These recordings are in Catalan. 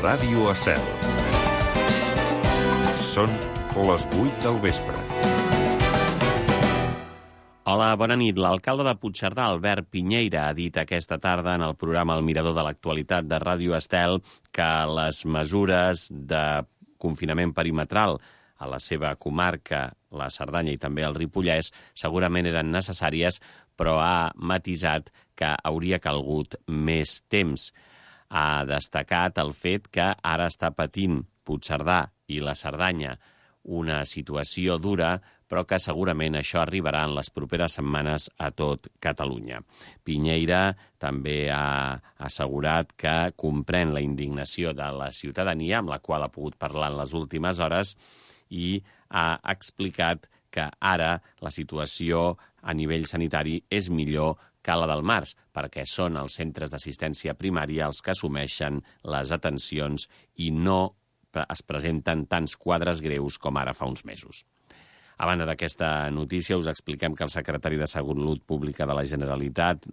Ràdio Estel. Són les 8 del vespre. Hola, bona nit. L'alcalde de Puigcerdà, Albert Piñeira, ha dit aquesta tarda en el programa El Mirador de l'Actualitat de Ràdio Estel que les mesures de confinament perimetral a la seva comarca, la Cerdanya i també el Ripollès, segurament eren necessàries, però ha matisat que hauria calgut més temps. Ha destacat el fet que ara està patint Puigcerdà i la Cerdanya una situació dura, però que segurament això arribarà en les properes setmanes a tot Catalunya. Piñeira també ha assegurat que comprèn la indignació de la ciutadania, amb la qual ha pogut parlar en les últimes hores, i ha explicat que ara la situació a nivell sanitari és millor que la del març, perquè són els centres d'assistència primària els que assumeixen les atencions i no es presenten tants quadres greus com ara fa uns mesos. A banda d'aquesta notícia, us expliquem que el secretari de Salut Pública de la Generalitat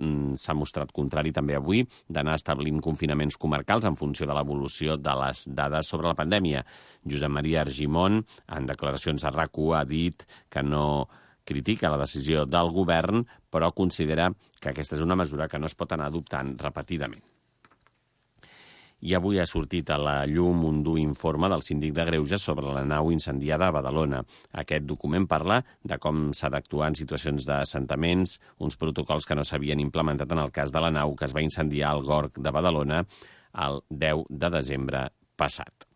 s'ha mostrat contrari també avui d'anar establint confinaments comarcals en funció de l'evolució de les dades sobre la pandèmia. Josep Maria Argimon, en declaracions a RAC1, ha dit que no critica la decisió del govern, però considera que aquesta és una mesura que no es pot anar adoptant repetidament. I avui ha sortit a la llum un dur informe del síndic de Greuges sobre la nau incendiada a Badalona. Aquest document parla de com s'ha d'actuar en situacions d'assentaments, uns protocols que no s'havien implementat en el cas de la nau que es va incendiar al Gorg de Badalona el 10 de desembre passat.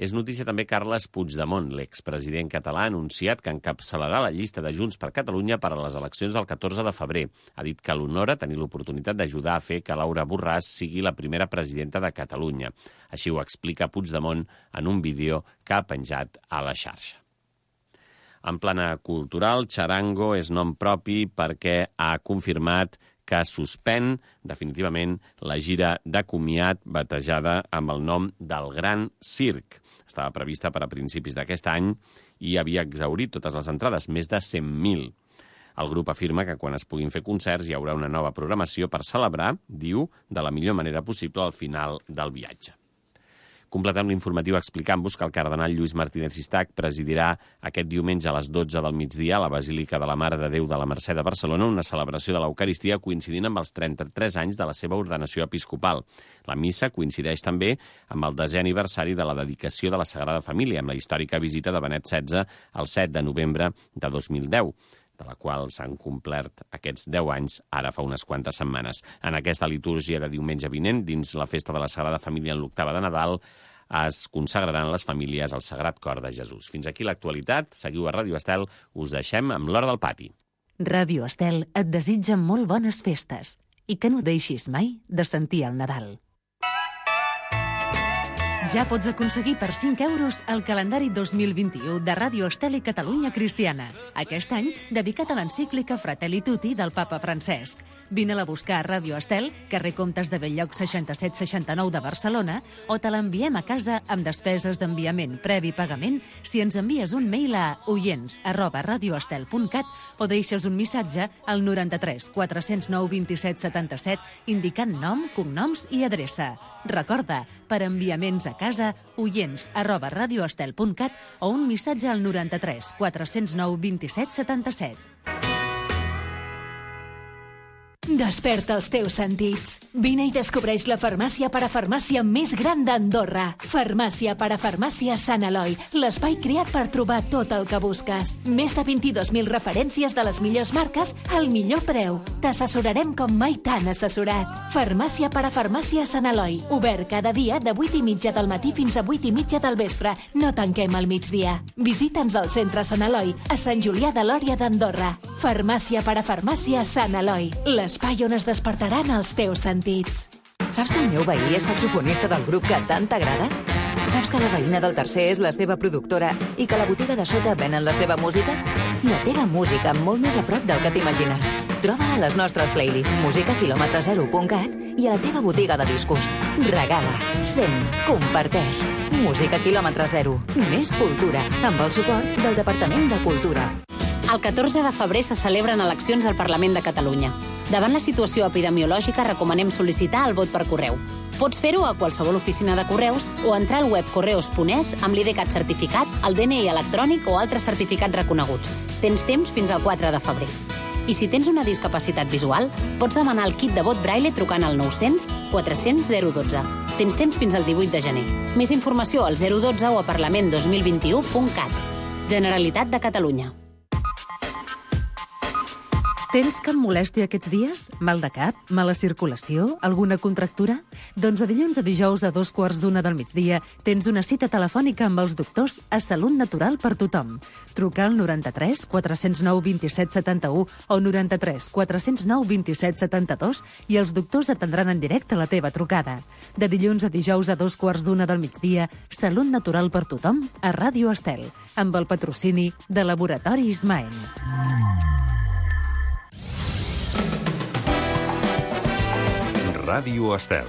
És notícia també Carles Puigdemont, l'expresident català, ha anunciat que encapçalarà la llista de Junts per Catalunya per a les eleccions del 14 de febrer. Ha dit que l'honora tenir l'oportunitat d'ajudar a fer que Laura Borràs sigui la primera presidenta de Catalunya. Així ho explica Puigdemont en un vídeo que ha penjat a la xarxa. En plana cultural, Charango és nom propi perquè ha confirmat que suspèn definitivament la gira de comiat batejada amb el nom del Gran Circ. Estava prevista per a principis d'aquest any i havia exhaurit totes les entrades, més de 100.000. El grup afirma que quan es puguin fer concerts hi haurà una nova programació per celebrar, diu, de la millor manera possible al final del viatge. Completem l'informatiu explicant-vos que el cardenal Lluís Martínez Sistac presidirà aquest diumenge a les 12 del migdia a la Basílica de la Mare de Déu de la Mercè de Barcelona una celebració de l'Eucaristia coincidint amb els 33 anys de la seva ordenació episcopal. La missa coincideix també amb el 10è aniversari de la dedicació de la Sagrada Família, amb la històrica visita de Benet XVI el 7 de novembre de 2010. De la qual s'han complert aquests 10 anys ara fa unes quantes setmanes. En aquesta litúrgia de diumenge vinent, dins la festa de la Sagrada Família en l'octava de Nadal, es consagraran les famílies al Sagrat Cor de Jesús. Fins aquí l'actualitat. Seguiu a Ràdio Estel. Us deixem amb l'Hora del Pati. Ràdio Estel et desitja molt bones festes i que no deixis mai de sentir el Nadal. Ja pots aconseguir per 5 euros el calendari 2021 de Ràdio Estel i Catalunya Cristiana. Aquest any, dedicat a l'encíclica Fratelli Tutti del papa Francesc. Vine-la a buscar a Ràdio Estel, carrer Comtes de Bell-lloc 6769 de Barcelona, o te l'enviem a casa amb despeses d'enviament previ pagament si ens envies un mail a oients@radioestel.cat o deixes un missatge al 93 409 27 77 indicant nom, cognoms i adreça. Recorda, per enviaments a casa, oients@radioestel.cat o un missatge al 93 409 27 77. Desperta els teus sentits. Vine i descobreix la farmàcia parafarmàcia més gran d'Andorra. Farmàcia parafarmàcia Sant Eloi, l'espai creat per trobar tot el que busques. Més de 22.000 referències de les millors marques al millor preu. T'assessorarem com mai t'han assessorat. Farmàcia parafarmàcia Sant Eloi, obert cada dia de 8:30 del matí fins a 8:30 del vespre. No tanquem al migdia. Visita'ns al centre Sant Eloi, a Sant Julià de Lòria d'Andorra. Farmàcia parafarmàcia Sant Eloi, l'espai on es despertaran els teus sentits. Saps que el meu veí és saxofonista del grup que tant t'agrada? Saps que la veïna del tercer és la seva productora i que a la botiga de sota venen la seva música? La teva música molt més a prop del que t'imagines. Troba a les nostres playlists musicaquilòmetre0.cat i a la teva botiga de discos. Regala, sent, comparteix. Música quilòmetre zero. Més cultura, amb el suport del Departament de Cultura. El 14 de febrer se celebren eleccions al Parlament de Catalunya. Davant la situació epidemiològica recomanem sol·licitar el vot per correu. Pots fer-ho a qualsevol oficina de correus o entrar al web correos.es amb l'IDCAT certificat, el DNI electrònic o altres certificats reconeguts. Tens temps fins al 4 de febrer. I si tens una discapacitat visual, pots demanar el kit de vot braille trucant al 900 400 012. Tens temps fins al 18 de gener. Més informació al 012 o a parlament2021.cat. Generalitat de Catalunya. Tens cap molèstia aquests dies? Mal de cap? Mala circulació? Alguna contractura? Doncs de dilluns a dijous a 2:15 del migdia tens una cita telefònica amb els doctors a Salut Natural per tothom. Truca al 93 409 27 71 o 93 409 27 72 i els doctors atendran en directe la teva trucada. De dilluns a dijous a 2:15 del migdia, Salut Natural per tothom a Ràdio Estel, amb el patrocini de Laboratori Ismael. Ràdio Estel.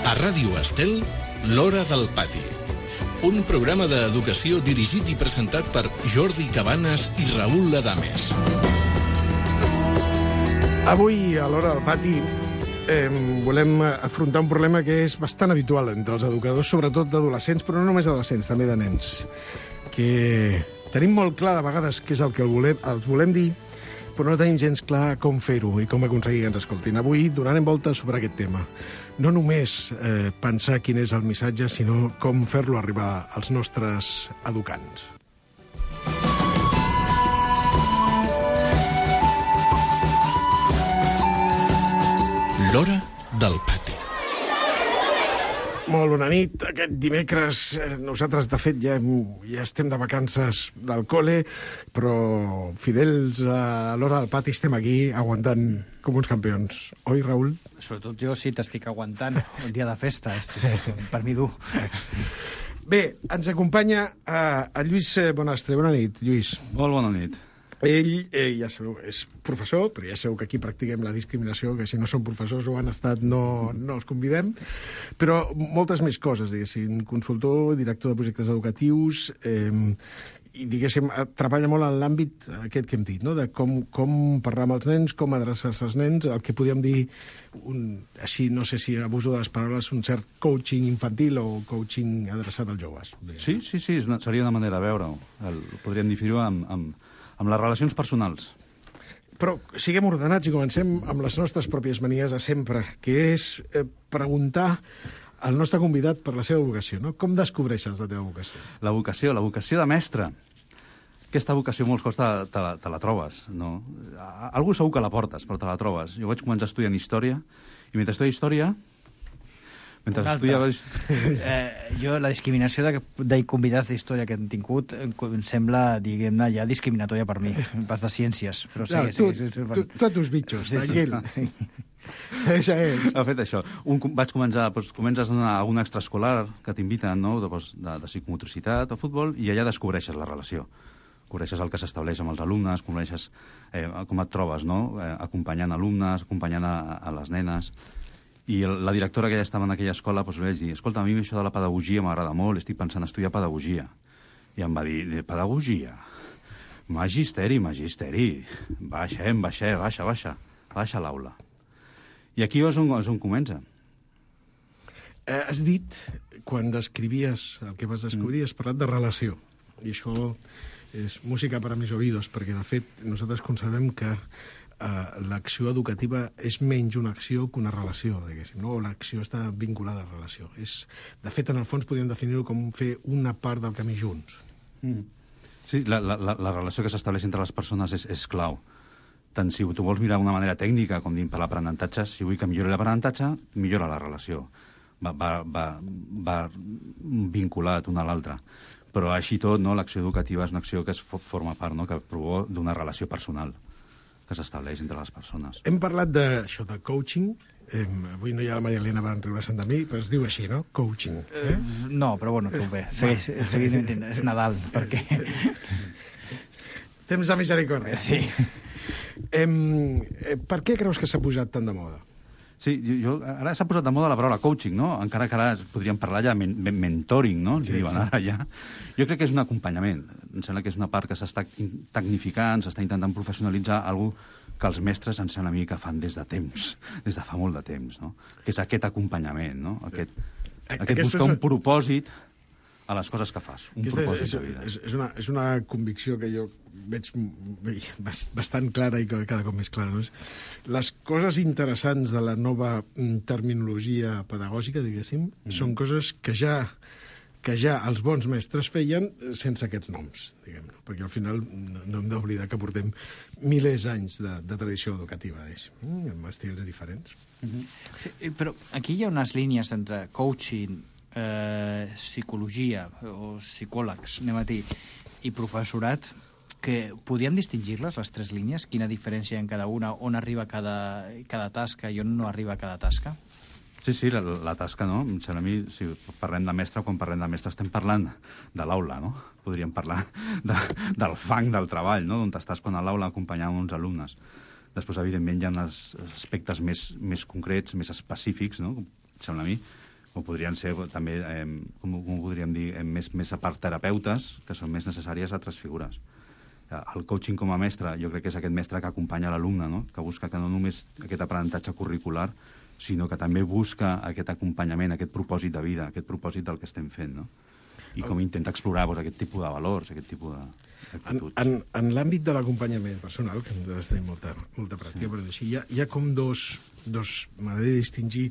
A Ràdio Estel, L'Hora del Pati. Un programa d'educació dirigit i presentat per Jordi Cabanes i Raül Ladames. Avui, a l'Hora del Pati, volem afrontar un problema que és bastant habitual entre els educadors, sobretot d'adolescents, però no només adolescents, també de nens, que tenim molt clar de vegades què és el que els volem dir, però no tenim gens clar com fer-ho i com aconseguir que ens escoltin. Avui donarem voltes sobre aquest tema. No només pensar quin és el missatge, sinó com fer-lo arribar als nostres educants. L'Hora del Pati. Molt bona nit. Aquest dimecres nosaltres, de fet, ja estem de vacances del col·le, però fidels a l'Hora del Pati estem aquí aguantant com uns campions. Oi, Raül? Sobretot jo sí t'estic aguantant el dia de festa. Per mi dur. Bé, ens acompanya el Lluís Bonastre. Bona nit, Lluís. Molt bona nit. Ell, ja sabeu, és professor, però ja sabeu que aquí practiquem la discriminació, que si no són professors o han estat no els convidem, però moltes més coses, diguéssim, consultor, director de projectes educatius, i, diguéssim, treballa molt en l'àmbit aquest que hem dit, no? De com parlar amb els nens, com adreçar-se als nens, el que podríem dir, així, no sé si abuso de les paraules, un cert coaching infantil o coaching adreçat als joves. Sí, seria una manera de veure-ho. Podríem definir-ho amb les relacions personals. Però siguem ordenats i comencem amb les nostres pròpies manies de sempre, que és preguntar al nostre convidat per la seva vocació, no? Com descobreixes la teva vocació? La vocació de mestre. Aquesta vocació molts cops te la trobes, no? Algú segur que la portes, però te la trobes. Jo vaig començar estudiant història, i mentre estudia història... Jo, la discriminació de convidats d'història que hem tingut em sembla, diguem-ne, ja discriminatòria per mi, pas de ciències. Però tu a tus bitxos, tranquil. Ha fet això. Comences a un extraescolar que t'inviten, no?, de psicomotricitat o futbol, i allà descobreixes la relació. Coneixes el que s'estableix amb els alumnes, coneixes com et trobes, no?, acompanyant alumnes, acompanyant a les nenes. I la directora que ja estava en aquella escola li vaig dir: escolta, a mi això de la pedagogia m'agrada molt, estic pensant en estudiar pedagogia. I em va dir: de pedagogia? Magisteri. Baixa l'aula. I aquí és on comença. Has dit, quan descrivies el que vas descobrir, has parlat de relació. I això és música per a mis oïdos, perquè, de fet, nosaltres considerem que l'acció educativa és menys una acció que una relació, diguéssim, no? L'acció està vinculada a la relació. De fet, en el fons, podríem definir-ho com fer una part del camí junts. Sí, la relació que s'estableix entre les persones és clau. Tant si tu vols mirar d'una manera tècnica, com diem per l'aprenentatge, si vull que millori l'aprenentatge, millora la relació. Va vinculat una a l'altra. Però així tot, no, l'acció educativa és una acció que forma part, no?, que prové d'una relació personal. que s'estableix entre les persones. Hem parlat d'això, de coaching. Avui no hi ha la Maria Elena, van riure de mi, però es diu així, no? Coaching. No, però bueno, tu bé. Segueix mentint. És Nadal, perquè... Temps de misericòrdia. Sí. Per què creus que s'ha posat tant de moda? Sí, ara s'ha posat de moda la paraula coaching, no? Encara que ara podríem parlar ja de mentoring, no? Sí, diuen ara ja. Jo crec que és un acompanyament. Em sembla que és una part que s'està tecnificant, s'està intentant professionalitzar algú que els mestres em sembla a mi que fan des de temps, des de fa molt de temps, no? Que és aquest acompanyament, no? Aquest buscar un propòsit a les coses que fas, un propòsit de vida. És una convicció que jo veig bastant clara i cada cop més clara. No? Les coses interessants de la nova terminologia pedagògica, diguéssim, són coses que ja els bons mestres feien sense aquests noms, diguem, perquè al final no hem d'oblidar que portem milers d'anys de tradició educativa, amb estils diferents. Sí, però aquí hi ha unes línies entre coaching, psicologia o psicòlegs, anem a dir, i professorat, que podríem distingir-les, les tres línies? Quina diferència hi ha en cada una? On arriba cada tasca i on no arriba cada tasca? Sí, la tasca, no? Em sembla a mi, si parlem de mestre, quan parlem de mestre estem parlant de l'aula, no? Podríem parlar del fang del treball, no? On estàs quan a l'aula acompanyant uns alumnes. Després, evidentment, hi ha uns aspectes més concrets, més específics, no? Em sembla a mi, o podrien ser també, com ho podríem dir, més a part terapeutes, que són més necessàries a altres figures. El coaching com a mestre, jo crec que és aquest mestre que acompanya l'alumne, no? Que busca que no només aquest aprenentatge curricular, sinó que també busca aquest acompanyament, aquest propòsit de vida, aquest propòsit del que estem fent, no? I com intenta explorar aquest tipus de valors, aquest tipus d'actituds. En l'àmbit de l'acompanyament personal, que hem de tenir molta pràctica, però així, hi ha com m'agradaria distingir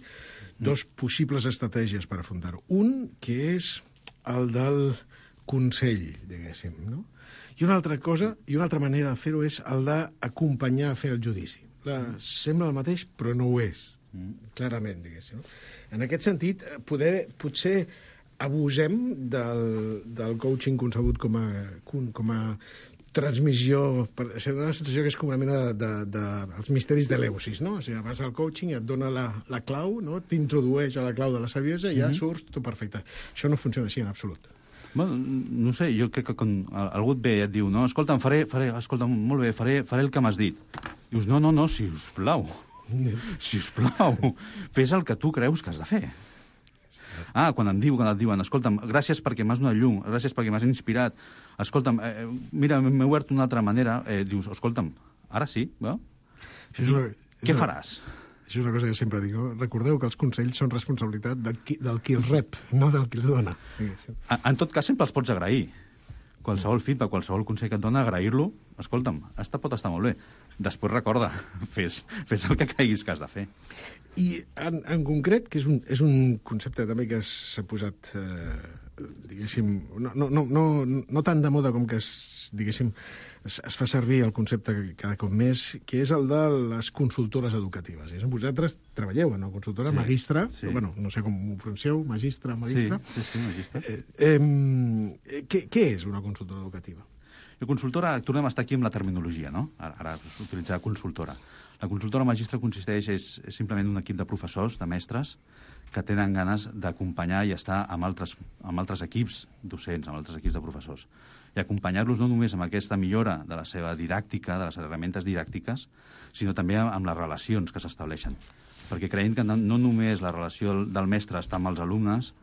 dos possibles estratègies per afrontar-ho. Un, que és el del consell, diguéssim, no? I una altra cosa, i una altra manera de fer-ho és el d'acompanyar a fer el judici. Sembla el mateix, però no ho és, clarament, diguéssim. En aquest sentit, potser abusem del coaching concebut com a transmissió, se dona la sensació que és com una mena dels misteris d'Eleusis, no? O sigui, vas al coaching i et dona la clau, no? T'introdueix a la clau de la saviesa i ja surts tot perfecte. Això no funciona així en absolut. Bueno, no sé, jo crec que quan algú et ve i et diu, no, escolta'm, escolta'm, molt bé, faré el que m'has dit. Dius, no, sisplau, fes el que tu creus que has de fer. Quan et diuen, escolta'm, gràcies perquè m'has donat llum, gràcies perquè m'has inspirat, escolta'm, mira, m'he obert d'una altra manera, dius, escolta'm, ara sí, no? Què faràs? Això és una cosa que sempre dic. Recordeu que els consells són responsabilitat del qui els rep, no del qui els dona. En tot cas, sempre els pots agrair. Qualsevol feedback, qualsevol consell que et dona, agrair-lo, escolta'm, pot estar molt bé. Després recorda, fes el que creguis que has de fer. I en concret, que és un concepte també que s'ha posat, diguéssim, no tan de moda com que diguéssim, es fa servir el concepte cada cop més, que és el de les consultores educatives. Vosaltres treballeu en una consultora, magistra, bueno, no sé com ho pronuncieu, magistra. Sí, magistra. Què és una consultora educativa? La consultora, tornem a estar aquí amb la terminologia, no? Ara utilitzar consultora. La consultora magistra consisteix, és simplement un equip de professors, de mestres, que tenen ganes d'acompanyar i estar amb altres equips docents, amb altres equips de professors. I acompanyar-los no només amb aquesta millora de la seva didàctica, de les herramientes didàctiques, sinó també amb les relacions que s'estableixen. Perquè creiem que no només la relació del mestre està amb els alumnes,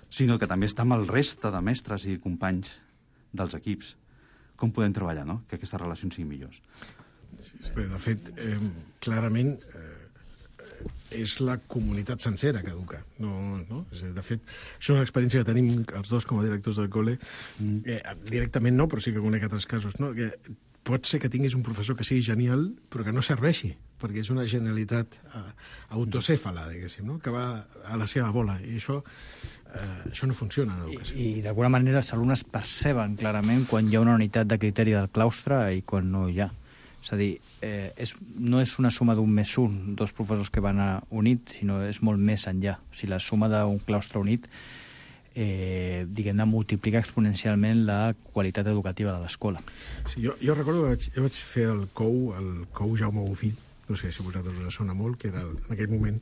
sinó que també està amb el reste de mestres i companys dels equips. Com podem treballar, no?, que aquestes relacions siguin millors. Bé, de fet, clarament és la comunitat sencera que educa. De fet, això és una experiència que tenim els dos com a directors del col·le. Directament no, però sí que conec altres casos. No? Que pot ser que tinguis un professor que sigui genial, però que no serveixi, perquè és una genialitat autocèfala, diguéssim, no? Que va a la seva bola. I això no funciona en l'educació. I d'alguna manera els alumnes perceben clarament quan hi ha una unitat de criteri del claustre i quan no hi ha. És a dir, no és una suma d'un més un, dos professors que van units, sinó és molt més enllà. O sigui, la suma d'un claustre unit diguem-ne, multiplica exponencialment la qualitat educativa de l'escola. Sí, jo recordo que jo vaig fer el COU Jaume Bofill, no sé si vosaltres us sona molt, que era en aquell moment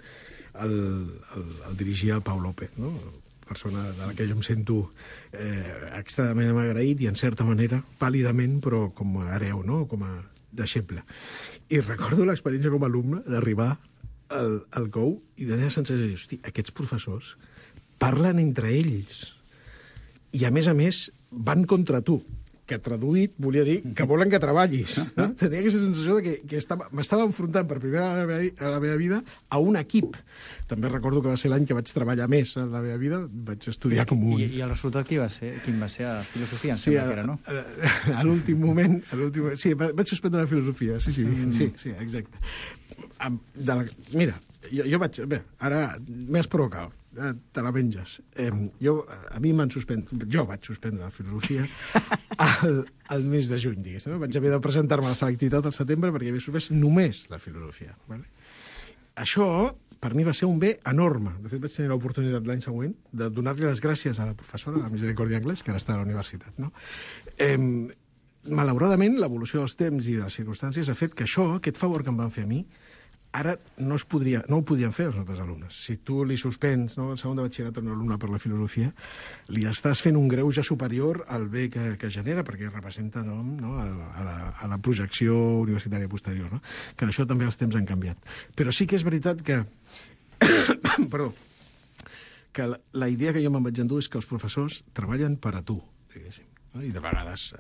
el dirigia el Pau López, no? Persona de la que jo em sento extremadament agraït i, en certa manera, pàl·lidament, però com a hereu, no? Com a deixeble. I recordo l'experiència com a alumne d'arribar al COU i de tenir la sensació de dir, hosti, aquests professors parlen entre ells i, a més, van contra tu, que traduït volia dir que volen que treballis. No? Tenia aquesta sensació de que m'estava enfrontant per primera vegada a la meva vida a un equip. També recordo que va ser l'any que vaig treballar més en la meva vida, vaig estudiar com un... I el resultat quin va ser? A filosofia, em sembla que era, no? A l'últim moment... Sí, vaig suspendre la filosofia, sí, exacte. Mira, jo vaig... Bé, ara m'has provocat. Te la menges. A mi m'han suspès... Jo vaig suspendre la filosofia al mes de juny, diguéssim. Vaig haver de presentar-me a la selectivitat al setembre perquè havia suspès només la filosofia. Vale? Això, per mi, va ser un bé enorme. De fet, vaig tenir l'oportunitat l'any següent de donar-li les gràcies a la professora, a la Misericòrdia Anglès, que ara està a la universitat. No? Malauradament, l'evolució dels temps i de les circumstàncies ha fet que això, aquest favor que em van fer a mi, ara no ho podien fer els nostres alumnes. Si tu li suspens, no, el segon de batxillerat a un alumne per la filosofia, li estàs fent un greuge superior al bé que genera, perquè representa a la projecció universitària posterior. No? Que això també els temps han canviat. Però sí que és veritat que... Perdó. Que la idea que jo me'n vaig endur és que els professors treballen per a tu, diguéssim. No? I de vegades...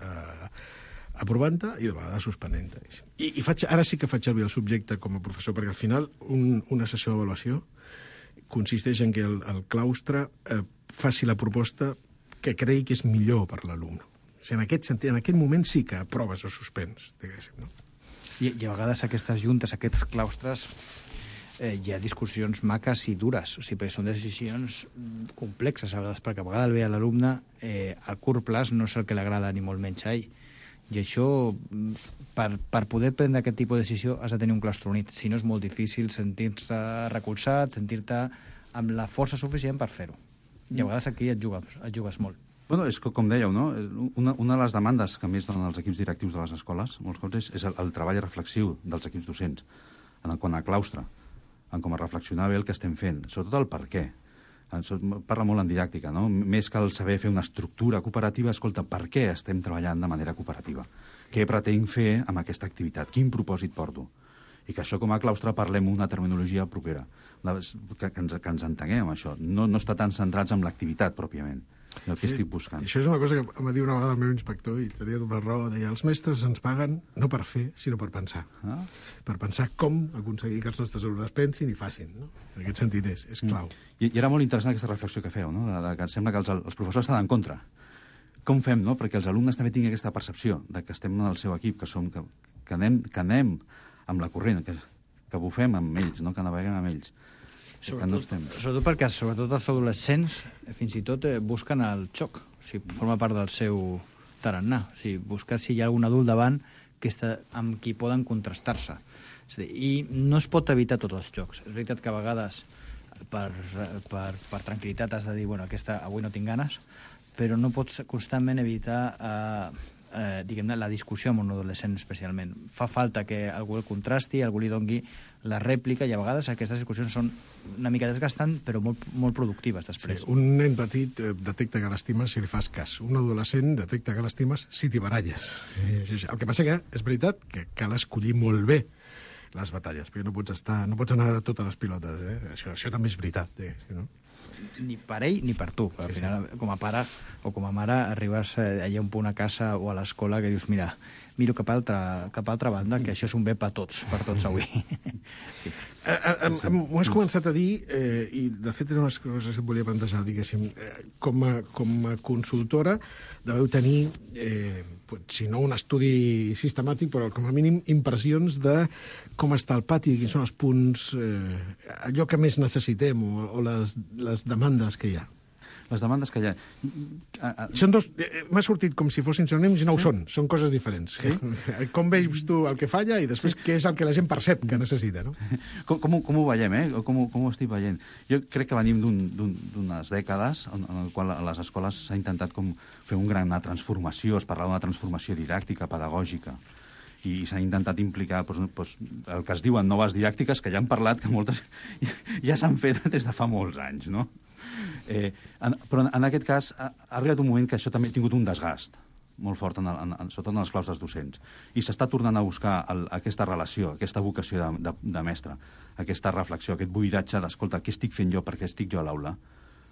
aprovant-te i de vegades suspenent-te. I ara sí que faig servir el subjecte com a professor, perquè al final una sessió d'avaluació consisteix en que el claustre faci la proposta que cregui que és millor per l'alumne. O sigui, en aquest sentit, en aquest moment sí que aproves o suspens, diguéssim. No? I a vegades aquestes juntes, aquests claustres, hi ha discussions maques i dures, o sigui, perquè són decisions complexes a vegades, perquè a vegades el bé a l'alumne a curt plaç no és el que l'agrada ni molt menys a ell. I això, per poder prendre aquest tipus de decisió, has de tenir un claustre unit. Si no, és molt difícil sentir-se recolzat, sentir-te amb la força suficient per fer-ho. I a vegades aquí et jugues molt. Bueno, és com dèieu, no? Una de les demandes que més donen els equips directius de les escoles, molts cops, és el treball reflexiu dels equips docents, en quant a claustre, en com a reflexionar bé el que estem fent, sobretot el per què. Parla molt en didàctica, no? Més que el saber fer una estructura cooperativa, escolta, per què estem treballant de manera cooperativa? Què pretenc fer amb aquesta activitat? Quin propòsit porto? I que això, com a claustre, parlem una terminologia propera, que ens entenguem amb això. No estar tan centrats en l'activitat, pròpiament, el que estic buscant. Això és una cosa que em va dir una vegada el meu inspector, i tenia tota la raó, deia, els mestres ens paguen no per fer, sinó per pensar. Per pensar com aconseguir que els nostres alumnes pensin i facin. No? En aquest sentit és clau. I era molt interessant aquesta reflexió que feu, no? Que sembla que els professors estan en contra. Com fem, no? Perquè els alumnes també tinguin aquesta percepció de que estem en el seu equip, que anem amb la corrent, que bufem amb ells, no? Que naveguem amb ells. Sobretot perquè els adolescents fins i tot busquen el xoc, o sigui, forma part del seu tarannà, o sigui, buscar si hi ha algun adult davant amb qui poden contrastar-se. I no es pot evitar tots els jocs. És veritat que a vegades per tranquil·litat has de dir, bueno, avui no tinc ganes, però no pots constantment evitar diguem-ne, la discussió amb un adolescent especialment. Fa falta que algú el contrasti, algú li doni la rèplica, i a vegades aquestes discussions són una mica desgastants, però molt productives després. Sí, un nen petit detecta que l'estimes si li fas cas. Un adolescent detecta que l'estimes si t'hi baralles. El que passa que és veritat que cal escollir molt bé les batalles, perquè no pots anar a totes les pilotes. Això també és veritat. No? Ni per ell ni per tu. Al final, com a pare o com a mare, arribes allà a un punt a casa o a l'escola que dius, miro cap a altra banda, que això és un bé per tots avui. Sí. M'ho has començat a dir, i de fet eren unes coses que et volia plantejar, diguéssim. Com a consultora deveu tenir, si no un estudi sistemàtic, però com a mínim impressions de com està el pati, quins són els punts, allò que més necessitem o les demandes que hi ha. Les demandes que hi ha... Són dos... M'ha sortit com si fossin sinònims i no ho són. Són coses diferents. Sí? Com veus tu el que falla i després què és el que la gent percep que necessita, no? Com ho veiem, Com ho estic veient? Jo crec que venim d'unes dècades en el qual a les escoles s'ha intentat com fer una gran transformació, es parlava d'una transformació didàctica, pedagògica, i s'ha intentat implicar el que es diuen noves didàctiques, que ja han parlat, que moltes ja s'han fet des de fa molts anys, no? Però en aquest cas ha arribat un moment que això també ha tingut un desgast molt fort, sobretot en les claustres docents, i s'està tornant a buscar aquesta relació, aquesta vocació de mestre, aquesta reflexió, aquest buidatge d'escolta, què estic fent jo, per què estic jo a l'aula,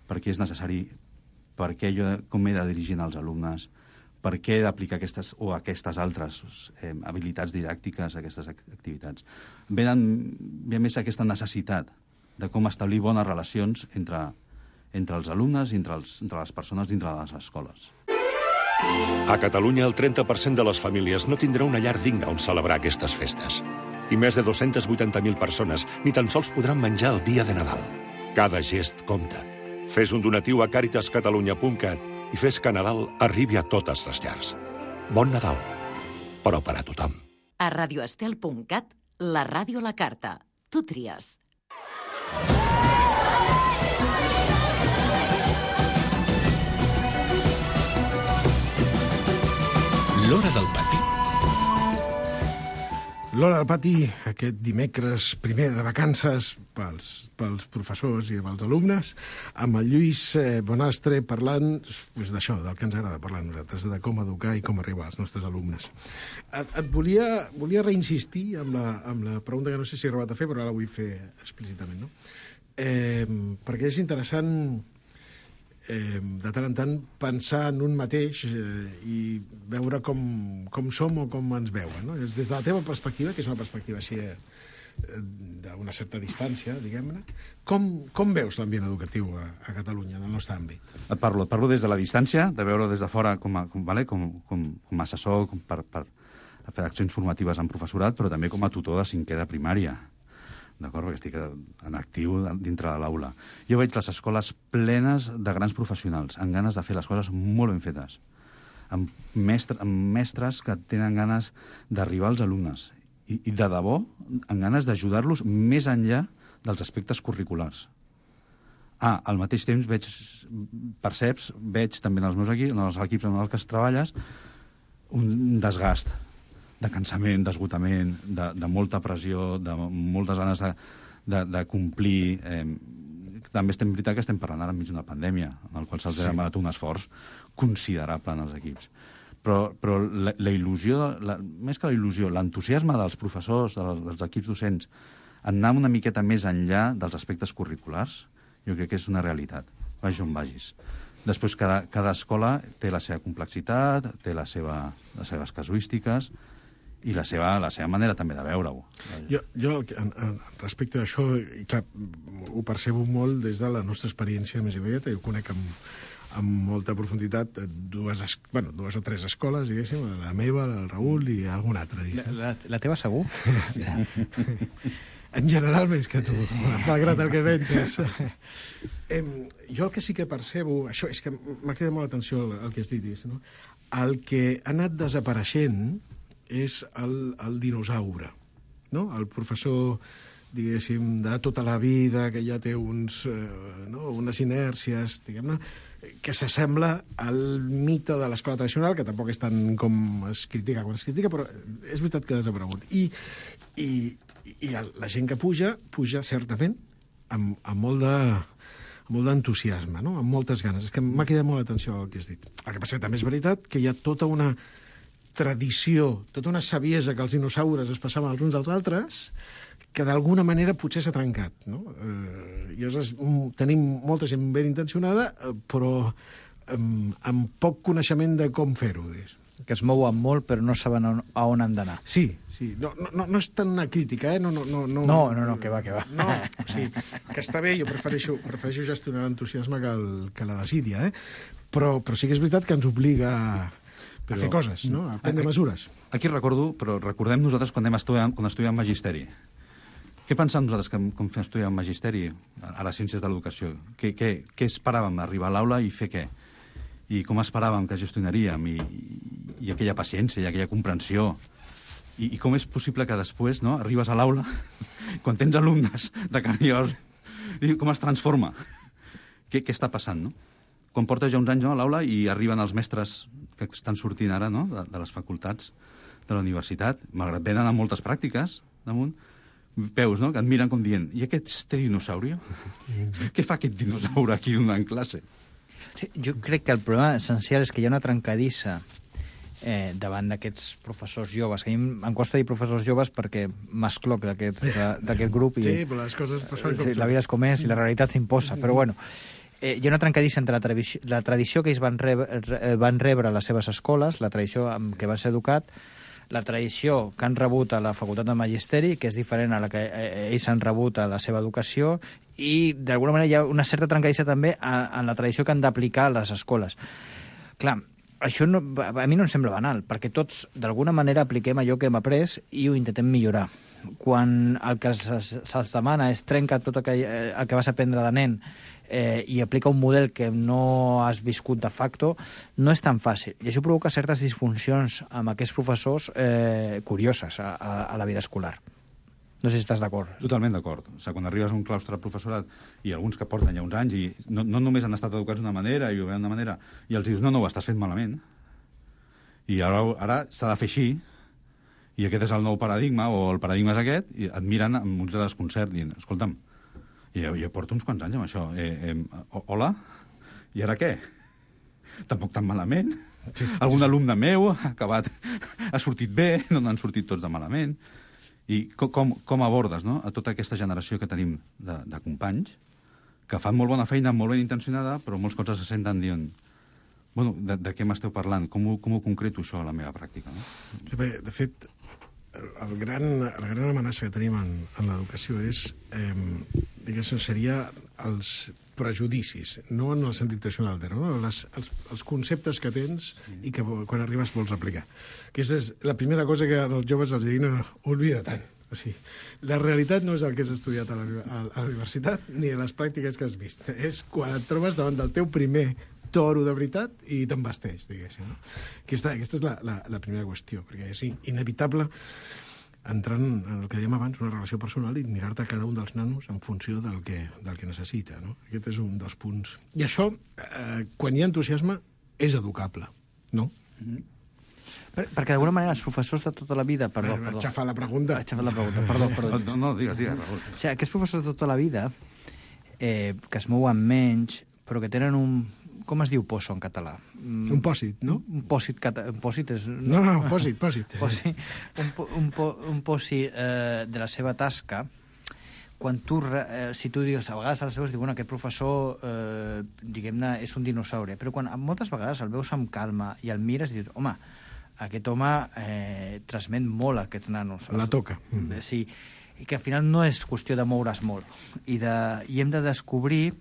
per què és necessari, per què jo, com he de dirigir als alumnes, per què he d'aplicar aquestes o aquestes altres habilitats didàctiques, aquestes activitats. Ve més aquesta necessitat de com establir bones relacions entre els alumnes i entre les persones dintre de les escoles. A Catalunya, el 30% de les famílies no tindrà una llar digna on celebrar aquestes festes. I més de 280.000 persones ni tan sols podran menjar el dia de Nadal. Cada gest compta. Fes un donatiu a caritascatalunya.cat i fes que Nadal arribi a totes les llars. Bon Nadal, però per a tothom. A radioestel.cat, la ràdio a la carta. Tu tries. L'Hora del Pati. L'Hora del Pati, aquest dimecres primer de vacances pels professors i pels alumnes, amb el Lluís Bonastre parlant d'això, del que ens agrada parlar a nosaltres, de com educar i com arribar als nostres alumnes. Et volia reinsistir amb la pregunta que no sé si he arribat a fer, però ara la vull fer explícitament, no? Perquè és interessant de tant en tant pensar en un mateix i veure com som o com ens veuen, no? Des de la teva perspectiva, que és una perspectiva així d'una certa distància, diguem-ne, com veus l'ambient educatiu a Catalunya, en el nostre àmbit? Et parlo des de la distància, de veure des de fora com a assessor, per fer accions formatives amb professorat, però també com a tutor de 5è de primària. D'acord? Perquè estic en actiu dintre de l'aula. Jo veig les escoles plenes de grans professionals, amb ganes de fer les coses molt ben fetes, amb mestres que tenen ganes d'arribar als alumnes i de debò, amb ganes d'ajudar-los més enllà dels aspectes curriculars. Al mateix temps veig també en els meus equips, en els equips en els que treballes, un desgast de cansament, d'esgotament, de molta pressió, de moltes ganes de complir. També és veritat que estem parlant ara enmig d'una pandèmia, en el qual se'ls ha demanat un esforç considerable en els equips. Però la il·lusió, més que la il·lusió, l'entusiasme dels professors, dels equips docents, anar una miqueta més enllà dels aspectes curriculars, jo crec que és una realitat, vagis on vagis. Després, cada escola té la seva complexitat, té les seves casuístiques, i la seva manera també de veure-ho. Jo respecte d'això, clar, ho percebo molt des de la nostra experiència més immediata. Jo conec amb molta profunditat dues o tres escoles, diguéssim, la meva, la del Raül i alguna altra. La teva segur? Sí. En general més que tu, malgrat el que penses. Jo el que sí que percebo, això és que m'ha cridat molt l'atenció el que has dit, no? El que ha anat desapareixent és el dinosaure, no? El professor, diguéssim, de tota la vida, que ja té unes inèrcies, diguem-ne, que s'assembla al mite de l'escola tradicional, que tampoc és tant com es critica quan es critica, però és veritat que ha desaparegut. I la gent que puja certament amb molt d'entusiasme, no? Amb moltes ganes. És que m'ha cridat molt l'atenció el que has dit. El que passa que també és veritat que hi ha tota una tradició, tota una saviesa que els dinosaures es passaven els uns als altres, que d'alguna manera potser s'ha trencat, no? Llavors tenim molta gent ben intencionada, però amb poc coneixement de com fer-ho. Que es mouen molt, però no saben a on han d'anar. Sí. No és tant una crítica, No, que va. No, sí, que està bé, jo prefereixo gestionar l'entusiasme que la desídia, Però sí que és veritat que ens obliga a fer coses, no? A prendre mesures. Aquí recordem nosaltres quan estudiem magisteri, Què pensàvem nosaltres com fem estudiar magisteri a les ciències de l'educació? Què esperàvem? Arribar a l'aula i fer què? I com esperàvem que gestionaríem? I aquella paciència, i aquella comprensió. I com és possible que després arribes a l'aula, quan tens alumnes de carn i os, i com es transforma? Què està passant, no? Quan portes ja uns anys a l'aula i arriben els mestres que estan sortint ara de les facultats de la universitat, malgrat venen amb moltes pràctiques damunt, veus, no?, que et miren com dient, i aquest té dinosaurio? Què fa aquest dinosaure aquí donant classe? Sí, jo crec que el problema essencial és que hi ha una trencadissa davant d'aquests professors joves. Que a mi em costa dir professors joves perquè m'escloc d'aquest grup. Sí, però les coses... La vida és com és i la realitat s'imposa. Però bueno, hi ha una trencadissa entre la tradició que ells van rebre a les seves escoles, la tradició amb què van ser educat, la tradició que han rebut a la Facultat de Magisteri, que és diferent a la que ells han rebut a la seva educació, i d'alguna manera hi ha una certa trencadissa també en la tradició que han d'aplicar a les escoles. Clar, això a mi no em sembla banal, perquè tots d'alguna manera apliquem allò que hem après i ho intentem millorar. Quan el que se'ls demana és trencar tot el que vas aprendre de nen i aplica un model que no has viscut de facto, no és tan fàcil. I això provoca certes disfuncions amb aquests professors curioses a la vida escolar. No sé si estàs d'acord. Totalment d'acord. O sigui, quan arribes a un claustre de professorat i alguns que porten ja uns anys i no només han estat educats d'una manera i ho veuen d'una manera, i els dius, no, ho estàs fent malament, i ara s'ha de fer així, i aquest és el nou paradigma, o el paradigma és aquest, i et miren amb uns desconcert, dient, escolta'm, jo porto uns quants anys amb això, hola, i ara què? Tampoc tan malament. Sí. Algun alumne meu ha sortit bé, no n'han sortit tots de malament. I com abordes a tota aquesta generació que tenim de companys que fan molt bona feina, molt ben intencionada, però molts cops se senten dient, bueno, de què m'esteu parlant? Com ho concreto això a la meva pràctica? No? Sí, perquè, de fet, la gran amenaça que tenim en l'educació és, diguéssim, seria els prejudicis, no en el sentit tradicional, no? Els conceptes que tens i que quan arribes vols aplicar. Aquesta és la primera cosa que als joves els dic, no, oblida tant. O sigui, la realitat no és el que has estudiat a la universitat ni les pràctiques que has vist. És quan et trobes davant del teu primer toro de veritat i t'embasteix, diguéssim. No? Aquesta és la primera qüestió, perquè és inevitable entrar en el que dèiem abans, una relació personal i mirar-te cada un dels nanos en funció del que necessita. No? Aquest és un dels punts. I això, quan hi ha entusiasme, és educable, no? Perquè d'alguna manera els professors de tota la vida... Perdó. Aixafar la pregunta. Perdó. No, digues, Raül. O sigui, aquests professors de tota la vida que es mouen menys, però que tenen un... Com es diu poso en català? Un pòsit, no? Un pòsit és... No, pòsit. Un pòsit de la seva tasca, quan tu, si tu dius, a vegades als veus, diuen, aquest professor, diguem-ne, és un dinosaure, però quan moltes vegades el veus amb calma i el mires i dius, home, aquest home transmet molt a aquests nanos. La toca. Sí, i que al final no és qüestió de moure's molt. I hem de descobrir...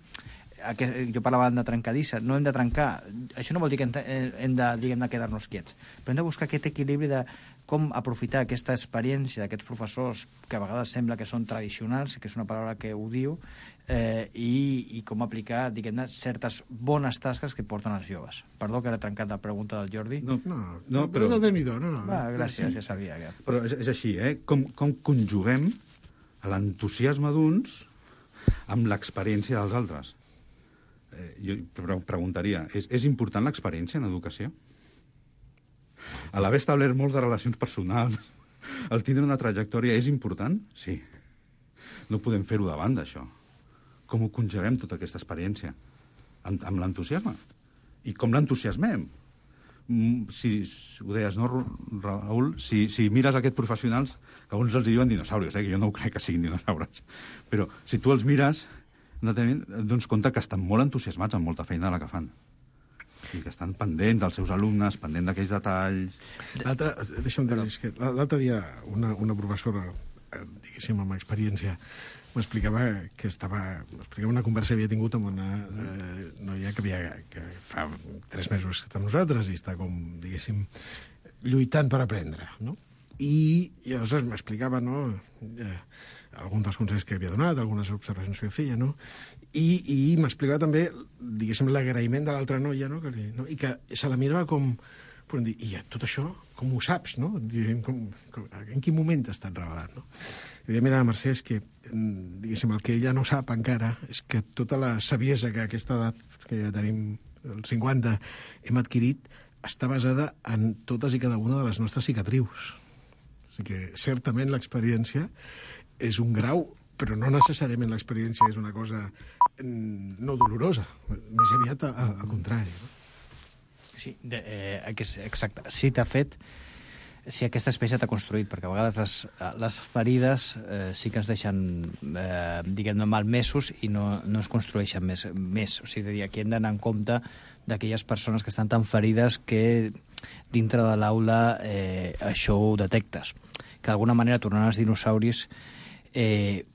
Jo parlava de trencadissa, no hem de trencar. Això no vol dir que hem de, diguem-ne, quedar-nos quiets, però hem de buscar aquest equilibri de com aprofitar aquesta experiència d'aquests professors que a vegades sembla que són tradicionals, que és una paraula que ho diu, i com aplicar, diguem-ne, certes bones tasques que porten els joves. Perdó que ara he trencat la pregunta del Jordi. No, però no déu-n'hi-do. Gràcies, ja sabia. Però és així, com conjuguem l'entusiasme d'uns amb l'experiència dels altres? Jo preguntaria, és important l'experiència en educació? A l'haver establert moltes relacions personals, el tindre una trajectòria és important? Sí. No podem fer-ho davant d'això. Com ho conjuguem, tota aquesta experiència? Amb l'entusiasme. I com l'entusiasmem? Si ho deies, no, Raül? Si mires aquests professionals, que alguns els diuen dinosaures, que jo no ho crec que siguin dinosaures, però si tu els mires... doncs compte que estan molt entusiasmats amb molta feina de la que fan i que estan pendents dels seus alumnes, pendents d'aquells detalls. Deixa'm dir que l'altre dia una professora, diguéssim, amb experiència, m'explicava una conversa que havia tingut amb una noia que fa 3 mesos que està amb nosaltres i està com, diguéssim, lluitant per aprendre, no? I llavors m'explicava, no?, alguns dels consells que havia donat, algunes observacions que feia, no?, i m'explicava també, diguéssim, l'agraïment de l'altra noia, no?, i que se la mirava com... Podem dir, i tot això, com ho saps, no? En quin moment t'ha estat revelat, no? I deia, mira, Mercè, és que, diguéssim, el que ella no sap encara és que tota la saviesa que a aquesta edat, que ja tenim els 50, hem adquirit, està basada en totes i cada una de les nostres cicatrius. O sigui que, certament, l'experiència és un grau, però no necessàriament l'experiència és una cosa no dolorosa, més aviat al contrari, no? Sí, exacte. Sí, t'ha fet... Si aquesta espècie t'ha construït, perquè a vegades les ferides sí que es deixen, diguem-ne, malmesos i no es construeixen més. O sigui, aquí hem d'anar en compte d'aquelles persones que estan tan ferides que dintre de l'aula això ho detectes. Que d'alguna manera, tornant als dinosauris,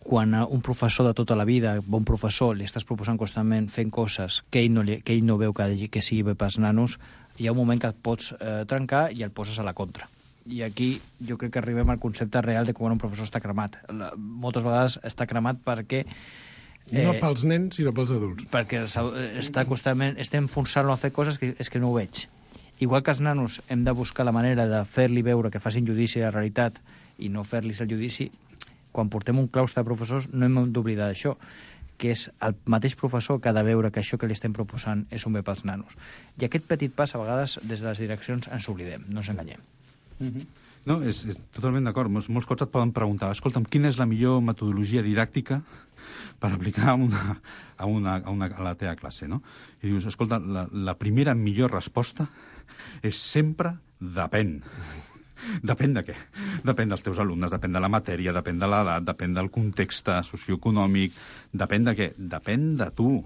quan a un professor de tota la vida, bon professor, li estàs proposant constantment fent coses que ell no veu que sigui bé pels nanos, hi ha un moment que et pots trencar i el poses a la contra. I aquí jo crec que arribem al concepte real de quan un professor està cremat. Moltes vegades està cremat perquè... no pels nens, sinó pels adults. Perquè està constantment... Estem forçant-lo a fer coses que és que no ho veig. Igual que els nanos hem de buscar la manera de fer-li veure que facin judici de la realitat i no fer-li el judici, quan portem un claustre de professors no hem d'oblidar això, que és el mateix professor que ha de veure que això que li estem proposant és un bé pels nanos. I aquest petit pas, a vegades, des de les direccions ens oblidem, no ens enganyem. No, és totalment d'acord. Molts cops et poden preguntar, escolta'm, quina és la millor metodologia didàctica per aplicar a la teva classe, no? I dius, escolta, la primera millor resposta és sempre depèn. Depèn de què? Depèn dels teus alumnes, depèn de la matèria, depèn de l'edat, depèn del context socioeconòmic, depèn de què? Depèn de tu.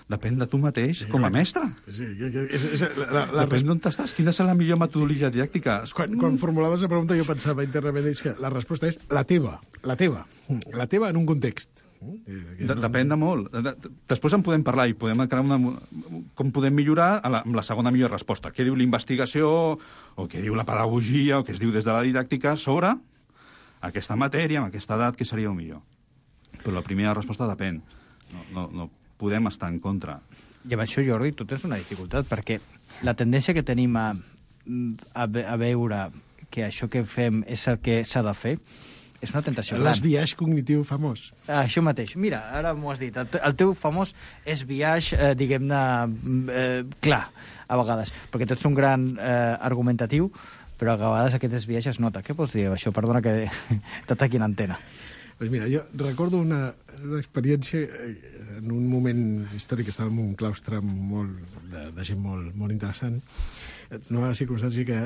Depèn de tu mateix com a mestre. Sí, depèn d'on estàs. Quina és la millor metodologia didàctica? Quan formulaves la pregunta jo pensava internament que la resposta és la teva. La teva en un context. Depèn de molt. Després en podem parlar i podem crear com podem millorar amb la segona millor resposta. Què diu la investigació, o què diu la pedagogia, o què es diu des de la didàctica sobre aquesta matèria, amb aquesta edat, què seria el millor. Però la primera resposta depèn. No podem estar en contra. I amb això, Jordi, tot és una dificultat, perquè la tendència que tenim a veure que això que fem és el que s'ha de fer, és una tentació gran. L'esbiaix cognitiu famós. Això mateix. Mira, ara m'ho has dit. El teu famós és biaix, diguem-ne, clar, a vegades. Perquè tu ets un gran argumentatiu, però a vegades aquest esbiaix es nota. Què vols dir això? Perdona que t'ataqui l'antena. Pues mira, jo recordo una experiència en un moment històric que estava en un claustre de gent molt interessant. Una circumstància que,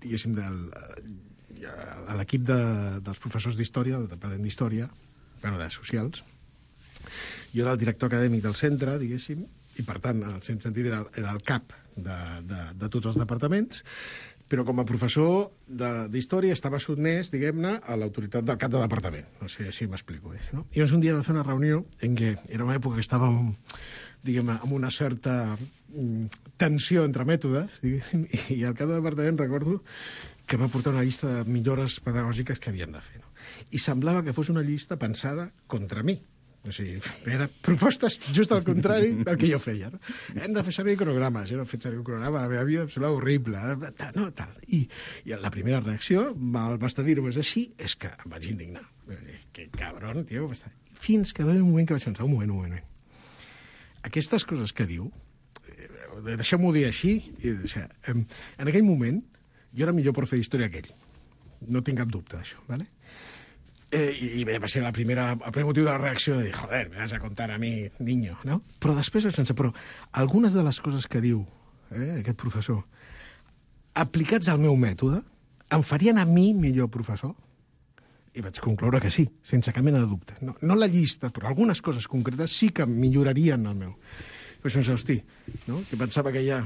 diguéssim, a l'equip dels professors d'història, del departament d'història, de socials, jo era el director acadèmic del centre, diguéssim, i per tant, en el sentit, era el cap de tots els departaments, però com a professor d'història estava sotmès, diguem-ne, a l'autoritat del cap de departament. No sé si m'explico. No? I llavors un dia va fer una reunió en què era una època que estàvem, diguem-ne, amb una certa tensió entre mètodes, diguéssim, i al cap de departament recordo que va portar una llista de millores pedagògiques que havien de fer. No? I semblava que fos una llista pensada contra mi. O sigui, eren propostes just al contrari del que jo feia. No? Hem de fer servir cronogrames. Jo no he fet servir un cronograma, la meva vida em semblava horrible. Tal. I la primera reacció, basta dir-ho és així, és que em vaig indignar. Que cabron, tio. Fins que va haver un moment que vaig pensar, un moment. Aquestes coses que diu, deixem-ho dir així, en aquell moment, jo era millor profe d'història que ell. No tinc cap dubte d'això, ¿vale? I va ser el primer motiu de la reacció de dir, joder, me vas a contar a mi, niño, no? Però després vaig pensar, però algunes de les coses que diu aquest professor, aplicats al meu mètode, em farien a mi millor professor? I vaig concloure que sí, sense cap mena de dubte. No la llista, però algunes coses concretes sí que millorarien el meu. Vaig pensar, hosti, no? Que pensava que ja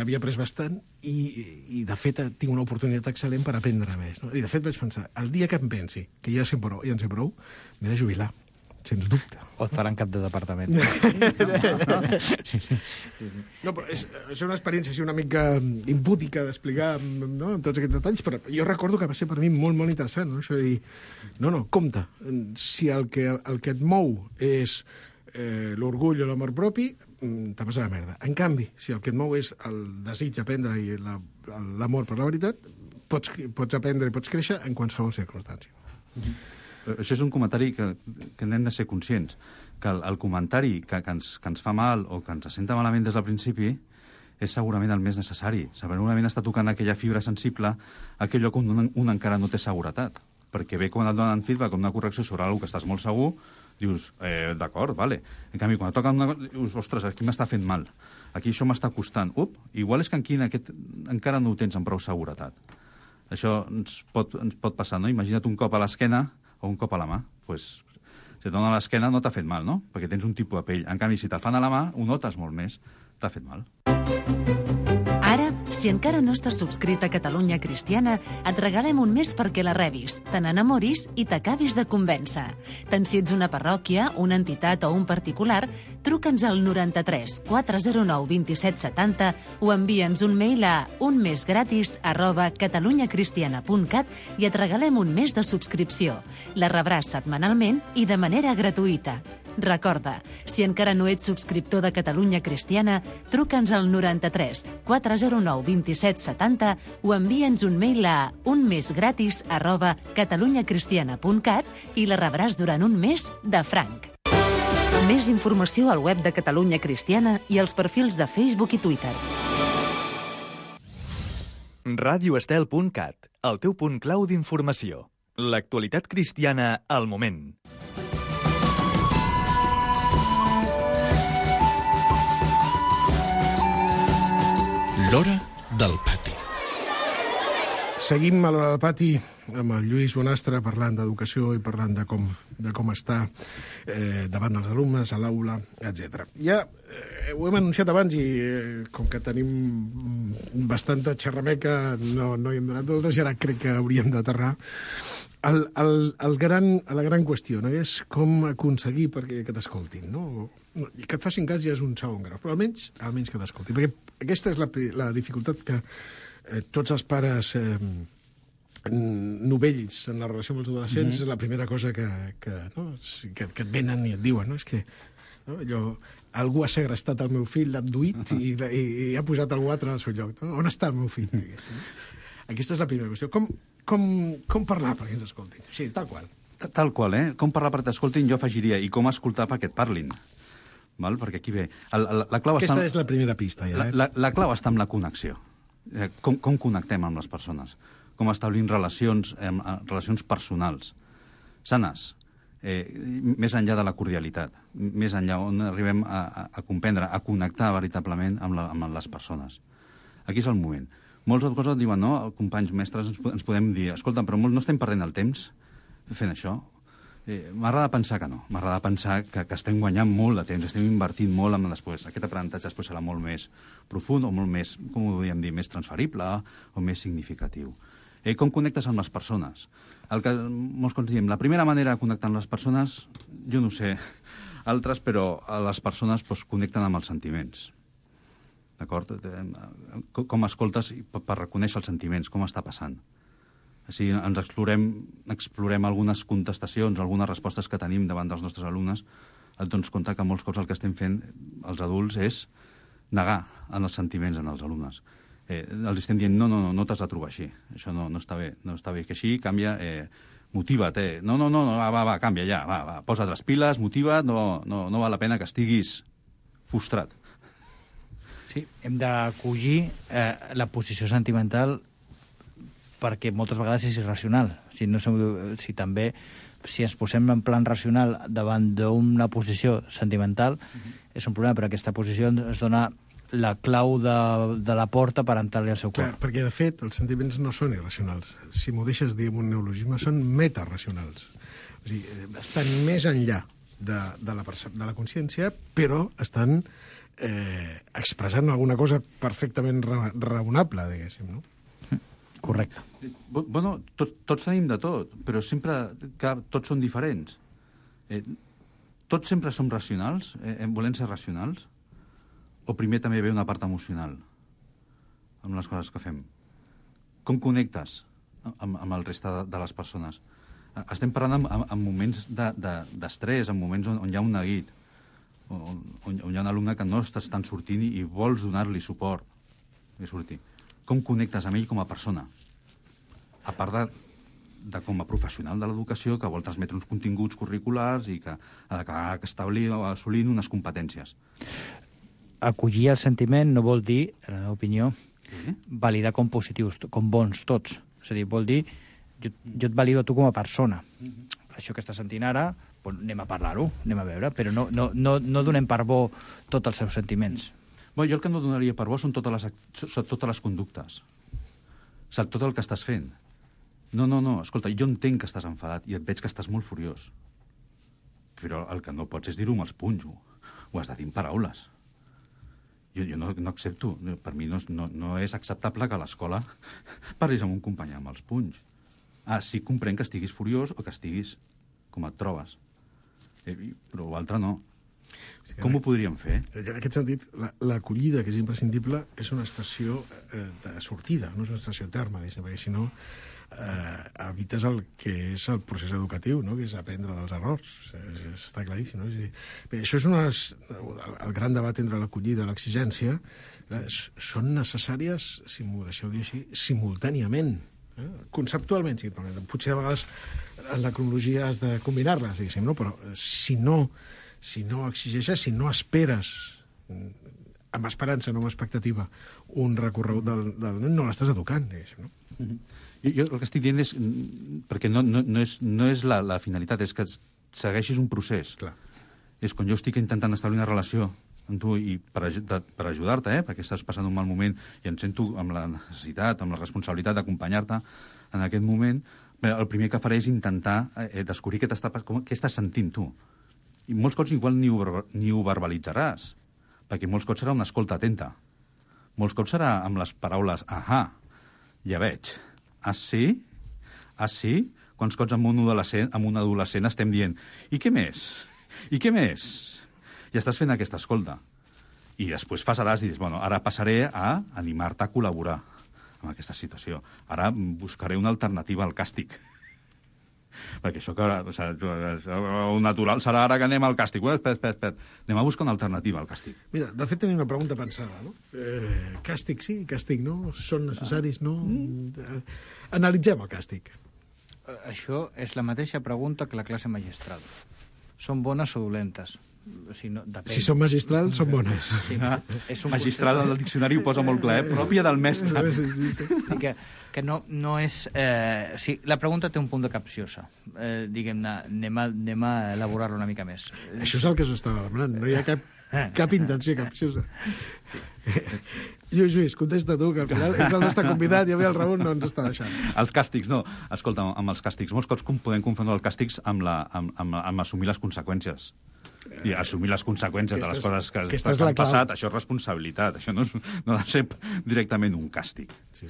havia après bastant i de fet tinc una oportunitat excel·lent per aprendre més. No? I de fet vaig pensar, el dia que em pensi que ja en sé prou, m'he de jubilar. sens dubte. O et faran cap de departament. No, però és una experiència així una mica impúdica d'explicar, no?, amb tots aquests detalls, però jo recordo que va ser per mi molt, molt interessant, no?, això de dir, no, compte, si el que et mou és l'orgull o l'amor propi, te passa la merda. En canvi, si el que et mou és el desig d'aprendre i l'amor per la veritat, pots aprendre i pots créixer en qualsevol circumstància. Això és un comentari que n'hem de ser conscients, que el comentari que ens fa mal o que ens senta malament des del principi és segurament el més necessari. Segurament està tocant aquella fibra sensible, aquell lloc on un encara no té seguretat. Perquè bé, quan et donen feedback o una correcció sobre alguna que estàs molt segur, dius, d'acord, vale. En canvi, quan et toca una cosa, dius, ostres, aquí m'està fent mal. Aquí això m'està costant. Igual és que aquí encara no ho tens amb prou seguretat. Això ens pot passar, no? Imagina't un cop a l'esquena o un cop a la mà. Pues, si et dona a l'esquena no t'ha fet mal, no? Perquè tens un tipus de pell. En canvi, si te'l fan a la mà, ho notes molt més. T'ha fet mal. Ara, si encara no estàs subscrit a Catalunya Cristiana, et regalem un mes perquè la rebis, te n'enamoris i t'acabis de convèncer. Tant si ets una parròquia, una entitat o un particular, truca'ns al 93 409 27 70 o envia'ns un mail a unmesgratis@catalunyacristiana.cat i et regalem un mes de subscripció. La rebràs setmanalment i de manera gratuïta. Recorda, si encara no ets subscriptor de Catalunya Cristiana, truca'ns al 93 409 27 70 o envia'ns un mail a unmesgratis@catalunyacristiana.cat i la rebràs durant un mes de franc. Més informació al web de Catalunya Cristiana i als perfils de Facebook i Twitter. radioestel.cat, el teu punt clau d'informació. L'actualitat cristiana al moment. L'Hora del Pati. Seguim a l'Hora del Pati amb el Lluís Bonastre parlant d'educació i parlant de com està davant dels alumnes, a l'aula, etc. Ja ho hem anunciat abans i com que tenim bastanta xerrameca no hi hem donat voltes i ara crec que hauríem d'aterrar. La gran qüestió, no?, és com aconseguir que t'escoltin, no? I que et facin cas ja és un segon grau, però almenys que t'escoltin. Perquè aquesta és la dificultat que tots els pares novells en la relació amb els adolescents és la primera cosa que et venen i et diuen, no? És que algú ha segrestat el meu fill, l'ha abduït i ha posat algú altre al seu lloc. No? On està el meu fill? Aquesta és la primera qüestió. Com parlar perquè ens escoltin? Sí, tal qual. Tal qual, Com parlar perquè t'escoltin, jo afegiria, i com escoltar perquè et parlin. Val? Perquè aquí ve... Aquesta és la primera pista, ja. La clau està en la connexió. Com connectem amb les persones? Com establim relacions personals sanes, més enllà de la cordialitat, més enllà on arribem a comprendre, a connectar veritablement amb les persones. Aquí és el moment. Molts coses diuen, no, companys mestres, ens podem dir, escolta, però no estem perdent el temps fent això? M'agrada pensar que no. M'agrada pensar que estem guanyant molt de temps, estem invertint molt en després. Aquest aprenentatge després serà molt més profund o molt més, com ho podríem dir, més transferible o més significatiu. Com connectes amb les persones? El que molts cops diem, la primera manera de connectar amb les persones, jo no sé altres, però les persones connecten amb els sentiments. D'acord? Com escoltes per reconèixer els sentiments, com està passant. Si ens explorem algunes contestacions, algunes respostes que tenim davant dels nostres alumnes, et dones compte que molts cops el que estem fent els adults és negar en els sentiments en els alumnes. Els estem dient, no t'has de trobar així, això no està bé, que així, canvia, motiva't, no, va, canvia ja, va, posa't les piles, motiva't, no val la pena que estiguis frustrat. Sí, hem d'acollir la posició sentimental perquè moltes vegades és irracional. Si ens posem en plan racional davant d'una posició sentimental, és un problema, però aquesta posició ens dona la clau de la porta per entrar-li al seu cor. Clar, perquè, de fet, els sentiments no són irracionals. Si m'ho deixes dir amb un neologisme, són metaracionals. O sigui, estan més enllà de la consciència, però estan expressant alguna cosa perfectament raonable, diguéssim, no? Correcte. Bueno, tots tenim de tot, però sempre que tots són diferents. tots sempre som racionals, volem ser racionals, o primer també ve una part emocional amb les coses que fem? Com connectes amb el reste de les persones? Estem parlant en moments d'estrès, en moments on hi ha un neguit, on hi ha un alumne que no estan sortint i vols donar-li suport que surti. Com connectes amb ell com a persona? A part de com a professional de l'educació que vol transmetre uns continguts curriculars i que ha d'acabar assolint unes competències. Acollir el sentiment no vol dir, en la meva opinió, validar com positius, com bons tots. És a dir, vol dir, jo et valido a tu com a persona. Això que estàs sentint ara, doncs anem a parlar-ho, anem a veure, però no donem per bo tots els seus sentiments. Jo el que no donaria per bo són totes les conductes. O sigui, tot el que estàs fent. No, escolta, jo entenc que estàs enfadat i et veig que estàs molt furiós. Però el que no pots és dir-ho amb els punys, ho has de dir amb paraules. Jo no accepto. Per mi no és acceptable que a l'escola parlis amb un company amb els punys. Sí, comprenc que estiguis furiós o que estiguis com et trobes. Però l'altre no. Com ho podríem fer? En aquest sentit, l'acollida, que és imprescindible, és una estació de sortida, no és una estació terme, perquè si no evites el que és el procés educatiu, no? Que és aprendre dels errors. Està claríssim, no? Bé, això és el gran debat entre l'acollida i l'exigència. Són necessàries, si m'ho deixeu dir així, simultàniament. Conceptualment, sí, potser a vegades en la cronologia has de combinar-les, diguéssim, no? Però si no exigeixes, si no esperes amb esperança, no amb expectativa, un recorregut del nen, no l'estàs educant, diguéssim, no? Jo el que estic dient és, perquè no és la finalitat, és que segueixis un procés. Clar. És quan jo estic intentant establir una relació amb tu i per ajudar-te, perquè estàs passant un mal moment i em sento amb la necessitat, amb la responsabilitat d'acompanyar-te en aquest moment, el primer que faré és intentar descobrir què estàs sentint tu. I molts cops igual ni ho verbalitzaràs, perquè molts cops serà una escolta atenta. Molts cops serà amb les paraules ahà, ja veig. Sí? Sí? Quants cops amb un adolescent estem dient i què més? I què més? I estàs fent aquesta escolta. I després faràs i dius, bueno, ara passaré a animar-te a col·laborar amb aquesta situació. Ara buscaré una alternativa al càstig. Perquè això que el natural serà ara que anem al càstig. Espera. Anem a buscar una alternativa al càstig. Mira, de fet tenim una pregunta pensada, no? Càstig sí, càstig no? Són necessaris, no? Analitzem el càstig. Això és la mateixa pregunta que la classe magistral. Són bones o dolentes? Depèn. Si són magistrals, són bones. Sí, magistral al diccionari ho posa molt clar, pròpia del mestre. Sí. Que no és... sí, la pregunta té un punt de capciosa. Diguem-ne, anem a elaborar-lo una mica més. Això és el que s'estava demanant. No hi ha cap intenció capciosa. Lluís, contesta tu, que al final és el nostre convidat i avui el Raül no ens està deixant. Els càstigs, no. Escolta, amb els càstigs, molts cops podem confondre els càstigs amb assumir les conseqüències. I assumir les conseqüències de les coses que han passat, això és responsabilitat, això no ha de ser directament un càstig. Sí.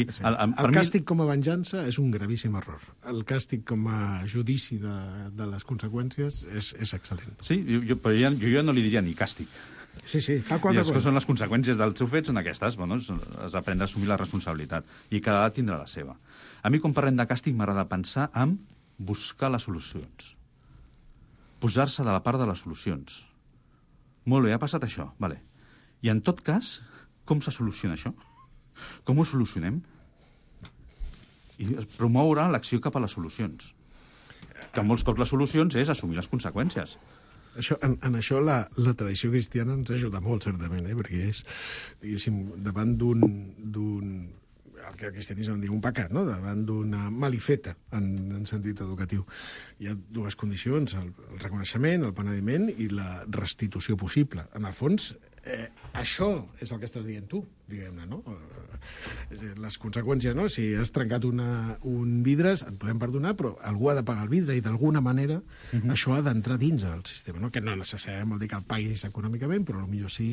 El càstig com a venjança és un gravíssim error. El càstig com a judici de les conseqüències és excel·lent. Sí, però jo ja no li diria ni càstig. Sí, tal qual. I les que són les conseqüències dels seus fets són aquestes, has d'aprendre a assumir la responsabilitat i cada edat tindrà la seva. A mi, quan parlem de càstig, m'agrada pensar en buscar les solucions. Posar-se de la part de les solucions. Molt bé, ha passat això, vale. I en tot cas, com se soluciona això? Com ho solucionem? I promoure l'acció cap a les solucions. Que molts cops les solucions és assumir les conseqüències. En això la tradició cristiana ens ajuda molt, certament, perquè és, diguéssim, davant d'un el que el cristianisme en diu un pecat, no? Davant d'una malifeta en sentit educatiu. Hi ha dues condicions, el reconeixement, el penediment i la restitució possible. En el fons, això és el que estàs dient tu, diguem-ne, no? Les conseqüències, no? Si has trencat un vidre, et podem perdonar, però algú ha de pagar el vidre i d'alguna manera això ha d'entrar dins el sistema, no? Que no necessàriament vol dir que el paguis econòmicament, però potser sí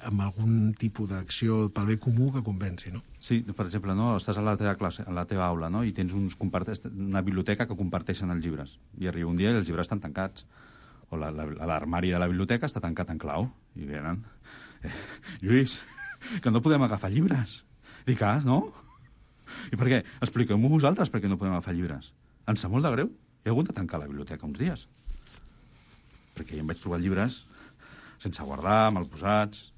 amb algun tipus d'acció pel bé comú que compensi, no? Sí, per exemple, no? Estàs a la teva classe, a la teva aula, no? I tens una biblioteca que comparteixen els llibres. I arriba un dia i els llibres estan tancats. O l'armari de la biblioteca està tancat en clau. I venen... Lluís, que no podem agafar llibres. Dic, no? I per què? Expliqueu-m'ho vosaltres per què no podem agafar llibres. Ens sap molt de greu. He hagut de tancar la biblioteca uns dies. Perquè ja em vaig trobar llibres sense guardar, mal posats.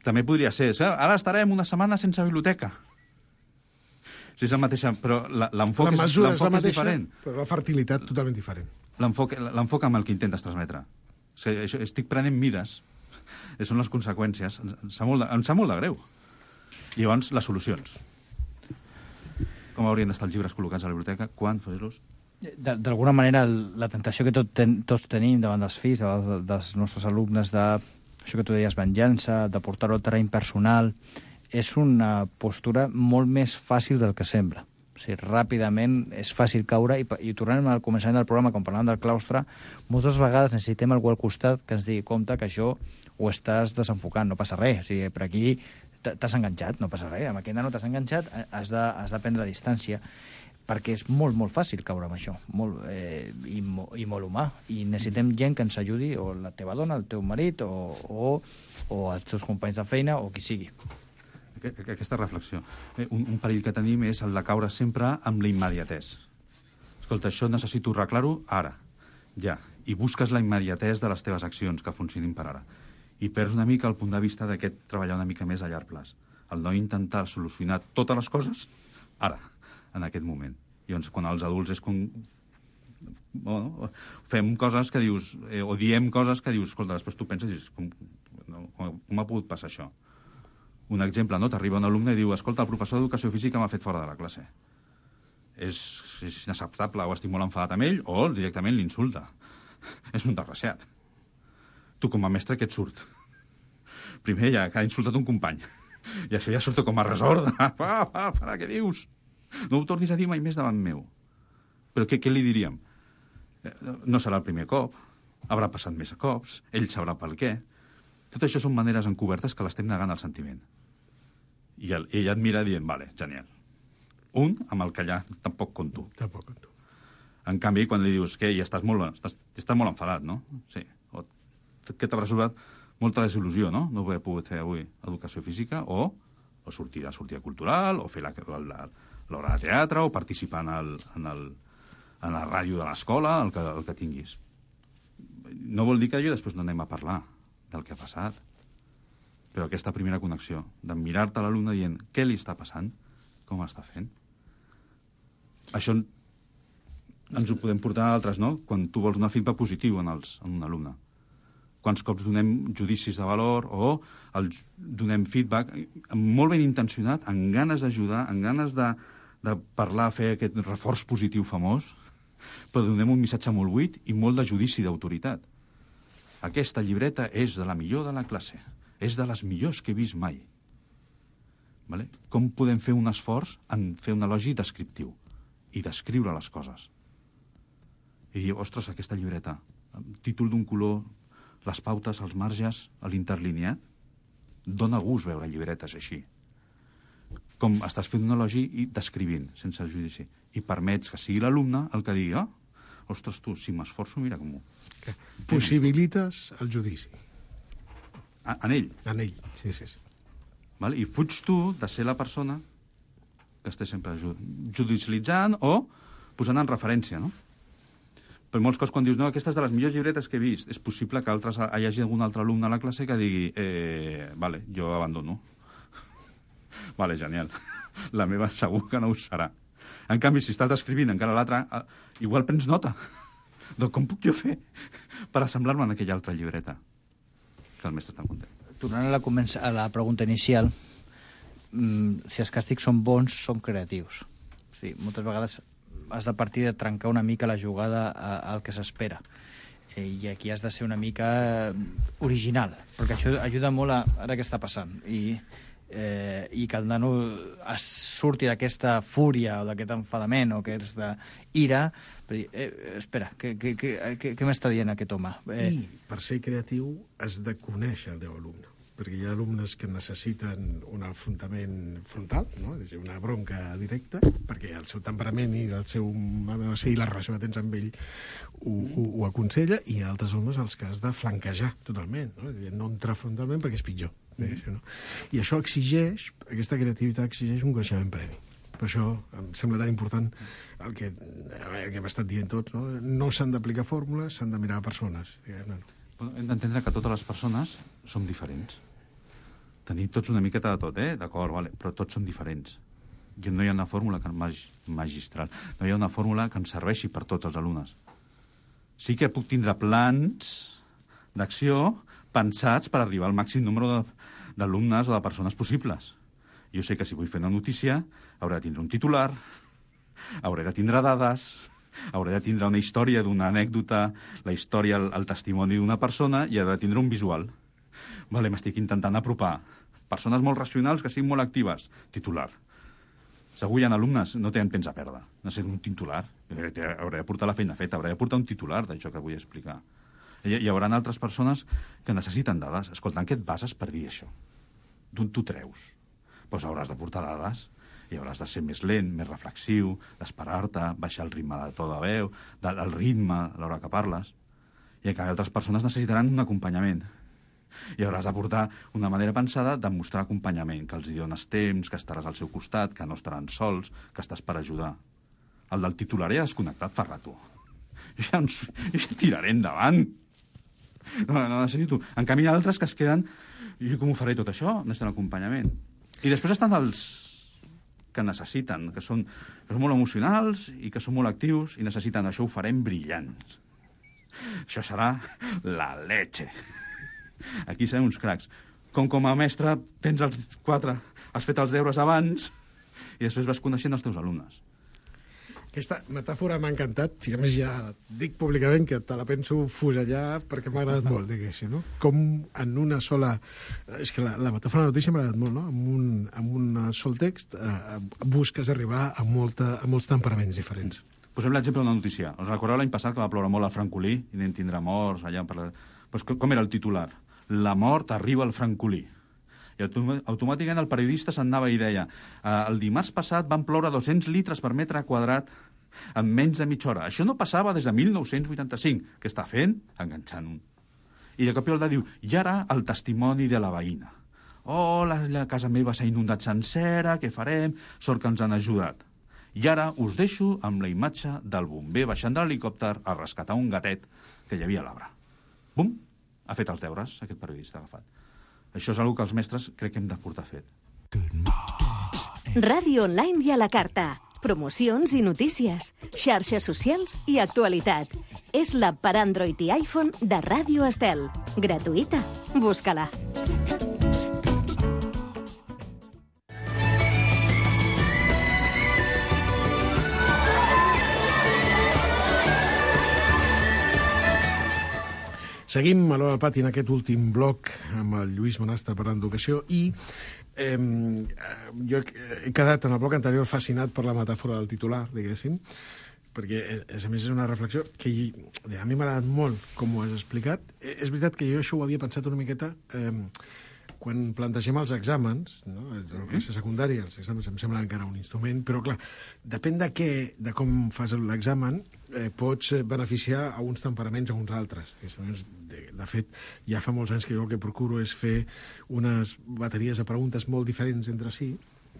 També podria ser, ara estarem una setmana sense biblioteca. Si és el mateix, però l'enfoc és diferent. Però la fertilitat totalment diferent. L'enfoc amb el que intentes transmetre. Estic prenent mides. Són les conseqüències. Em sap molt de greu. I llavors, les solucions. Com haurien d'estar els llibres col·locats a la biblioteca? Quan fer-los? D'alguna manera, la tentació que tots tenim davant dels fills, dels nostres alumnes, això que tu deies, venjança, de portar-ho al terreny personal, és una postura molt més fàcil del que sembla. O sigui, ràpidament és fàcil caure, i tornant al començament del programa, quan parlàvem del claustre, moltes vegades necessitem algú al costat que ens digui, compte, que això ho estàs desenfocant, no passa res. O sigui, per aquí t'has enganxat, no passa res. Amb aquest nano t'has enganxat, has de prendre distància, perquè és molt, molt fàcil caure amb això, i molt humà. I necessitem gent que ens ajudi, o la teva dona, el teu marit, o els teus companys de feina, o qui sigui. Aquesta reflexió. Un perill que tenim és el de caure sempre amb la immediatès. Escolta, això necessito arreglar-ho ara, ja. I busques la immediatès de les teves accions que funcionin per ara. I perds una mica el punt de vista d'aquest treballar una mica més a llarg plaç. El no intentar solucionar totes les coses ara, en aquest moment. I llavors, quan els adults és com... Bueno, fem coses que dius, o diem coses que dius, escolta, després tu penses i dius, com ha pogut passar això? Un exemple, no? T'arriba un alumne i diu, escolta, el professor d'educació física m'ha fet fora de la classe. És inacceptable, o estic molt enfadat amb ell, o directament l'insulta. És un desgraciat. Tu, com a mestre, què et surt? Primer, ja que ha insultat un company. I això ja surt com a resort. Para, què dius? No ho tornis a dir mai més davant meu. Però què li diríem? No serà el primer cop, haurà passat més cops, ell sabrà pel què. Tot això són maneres encobertes que l'estem negant al sentiment. I ell et mira dient, vale, genial. Un, amb el que allà tampoc compto. Tampoc compto. En canvi, quan li dius que ja estàs molt enfadat, no? Sí. O que t'haurà sobrat molta desil·lusió, no? No haver pogut fer avui educació física, o sortir a cultural, o fer l'hora de teatre, o participar en la ràdio de l'escola, el que tinguis. No vol dir que després no anem a parlar del que ha passat. Però aquesta primera connexió, de mirar-te a l'alumne dient què li està passant, com està fent. Això ens ho podem portar a altres, no? Quan tu vols donar feedback positiu en un alumne. Quants cops donem judicis de valor o donem feedback molt ben intencionat, amb ganes d'ajudar, amb ganes de parlar, fer aquest reforç positiu famós, però donem un missatge molt buit i molt de judici d'autoritat. Aquesta llibreta és de la millor de la classe. És de les millors que he vist mai. Vale? Com podem fer un esforç en fer un elogi descriptiu i descriure les coses? I dir, ostres, aquesta llibreta, títol d'un color, les pautes, els marges, l'interlineat, dona gust veure llibretes així. Com estàs fent un elogi i descrivint, sense judici. I permets que sigui l'alumne el que digui, ostres, tu, si m'esforço, mira com ho... Possibilites el judici. En ell? En ell, sí. Val? I fuig tu de ser la persona que esté sempre judicialitzant o posant en referència, no? Per molts cops, quan dius, no, aquesta és de les millors llibretes que he vist, és possible que hi hagi algun altre alumne a la classe que digui, vale, jo abandono. Vale, genial. La meva segur que no ho serà. En canvi, si estàs descrivint encara l'altre, igual prens nota. Doncs com puc jo fer per assemblar-me en aquella altra llibreta? Que el mestre està content. Tornant a la pregunta inicial, si els càstigs són bons, són creatius. O sigui, moltes vegades has de partir de trencar una mica la jugada al que s'espera. I aquí has de ser una mica original, perquè això ajuda molt a ara què està passant. I que el nano surti d'aquesta fúria o d'aquest enfadament o aquesta ira, per dir, espera, què m'està dient aquest home? I per ser creatiu has de conèixer el teu alumne. perquè hi ha alumnes que necessiten un afrontament frontal, no? Una bronca directa, perquè el seu temperament i la relació que tens amb ell ho aconsella, i hi ha altres alumnes als que has de flanquejar totalment, no entrar frontalment perquè és pitjor. No? I això exigeix, aquesta creativitat exigeix un coneixement previ. Per això em sembla tan important el que hem estat dient tots, no s'han d'aplicar fórmules, s'han de mirar persones. Hem d'entendre que totes les persones som diferents. Tenim tots una miqueta de tot, d'acord, vale, però tots som diferents. I no hi ha una fórmula magistral, no hi ha una fórmula que ens serveixi per tots els alumnes. Sí que puc tindre plans d'acció pensats per arribar al màxim número d'alumnes o de persones possibles. Jo sé que si vull fer una notícia hauré de tindre un titular, hauré de tindre dades, hauré de tindre una història d'una anècdota, la història, el testimoni d'una persona, i hauré de tindre un visual. Vale, m'estic intentant apropar. Persones molt racionals que siguin molt actives. Titular. Segur hi ha alumnes, no tenen temps a perdre. Necessito un titular. Hauré de portar la feina feta, hauré de portar un titular d'això que vull explicar. Hi haurà altres persones que necessiten dades. Escolta, en què et bases per dir això? D'on t'ho treus? Doncs hauràs de portar dades i hauràs de ser més lent, més reflexiu, d'esperar-te, baixar el ritme de to de veu, el ritme a l'hora que parles. I encara altres persones necessitaran un acompanyament. I hauràs de portar una manera pensada de mostrar acompanyament, que els hi dones temps, que estaràs al seu costat, que no estaran sols, que estàs per ajudar. El del titular ja desconnectat fa rato. Jo ja tiraré endavant. No necessito. En canvi, hi ha altres que es queden... I com ho faré tot això? Necessiten acompanyament. I després estan els que necessiten, que són molt emocionals i que són molt actius i necessiten això, ho farem brillants. Això serà la leche. Aquí serem uns cracs. Com a mestre tens els 4, has fet els deures abans i després vas coneixent els teus alumnes. Aquesta metàfora m'ha encantat, i a més ja dic públicament que te la penso fusellar perquè m'ha agradat molt, diguéssim, no? Com en una sola... És que la metàfora de la notícia m'ha agradat molt, no? Amb un sol text busques arribar a molts temperaments diferents. Posem l'exemple d'una notícia. Us recordeu l'any passat que va ploure molt al Francolí i vam tindre morts allà per... Pues com era el titular? La mort arriba al Francolí. I automàticament el periodista s'anava i deia el dimarts passat van ploure 200 litres per metre quadrat en menys de mitja hora. Això no passava des de 1985. Què està fent? Enganxant un. I de cop i volta diu, i ara el testimoni de la veïna. Oh, la casa meva s'ha inundat sencera, què farem? Sort que ens han ajudat. I ara us deixo amb la imatge del bomber baixant de l'helicòpter a rescatar un gatet que hi havia a l'arbre. Bum! Ha fet els deures, aquest periodista agafat. Això és una que els mestres crec que hem de portar fet. Ràdio online i a la carta. Promocions i notícies. Xarxes socials i actualitat. És l'app per Android i iPhone de Ràdio Estel. Gratuïta. Busca-la. Seguim a l'Hora del Pati en aquest últim bloc amb el Lluís Monastre parlant d'educació i jo he quedat en el bloc anterior fascinat per la metàfora del titular, diguéssim, perquè a més és una reflexió que a mi m'ha agradat molt com ho has explicat. És veritat que jo això ho havia pensat una miqueta quan plantegem els exàmens, no? La classe secundària, els exàmens em sembla encara un instrument, però clar, depèn de com fas l'examen, pots beneficiar a uns temperaments a uns altres. De fet, ja fa molts anys que jo el que procuro és fer unes bateries de preguntes molt diferents entre si.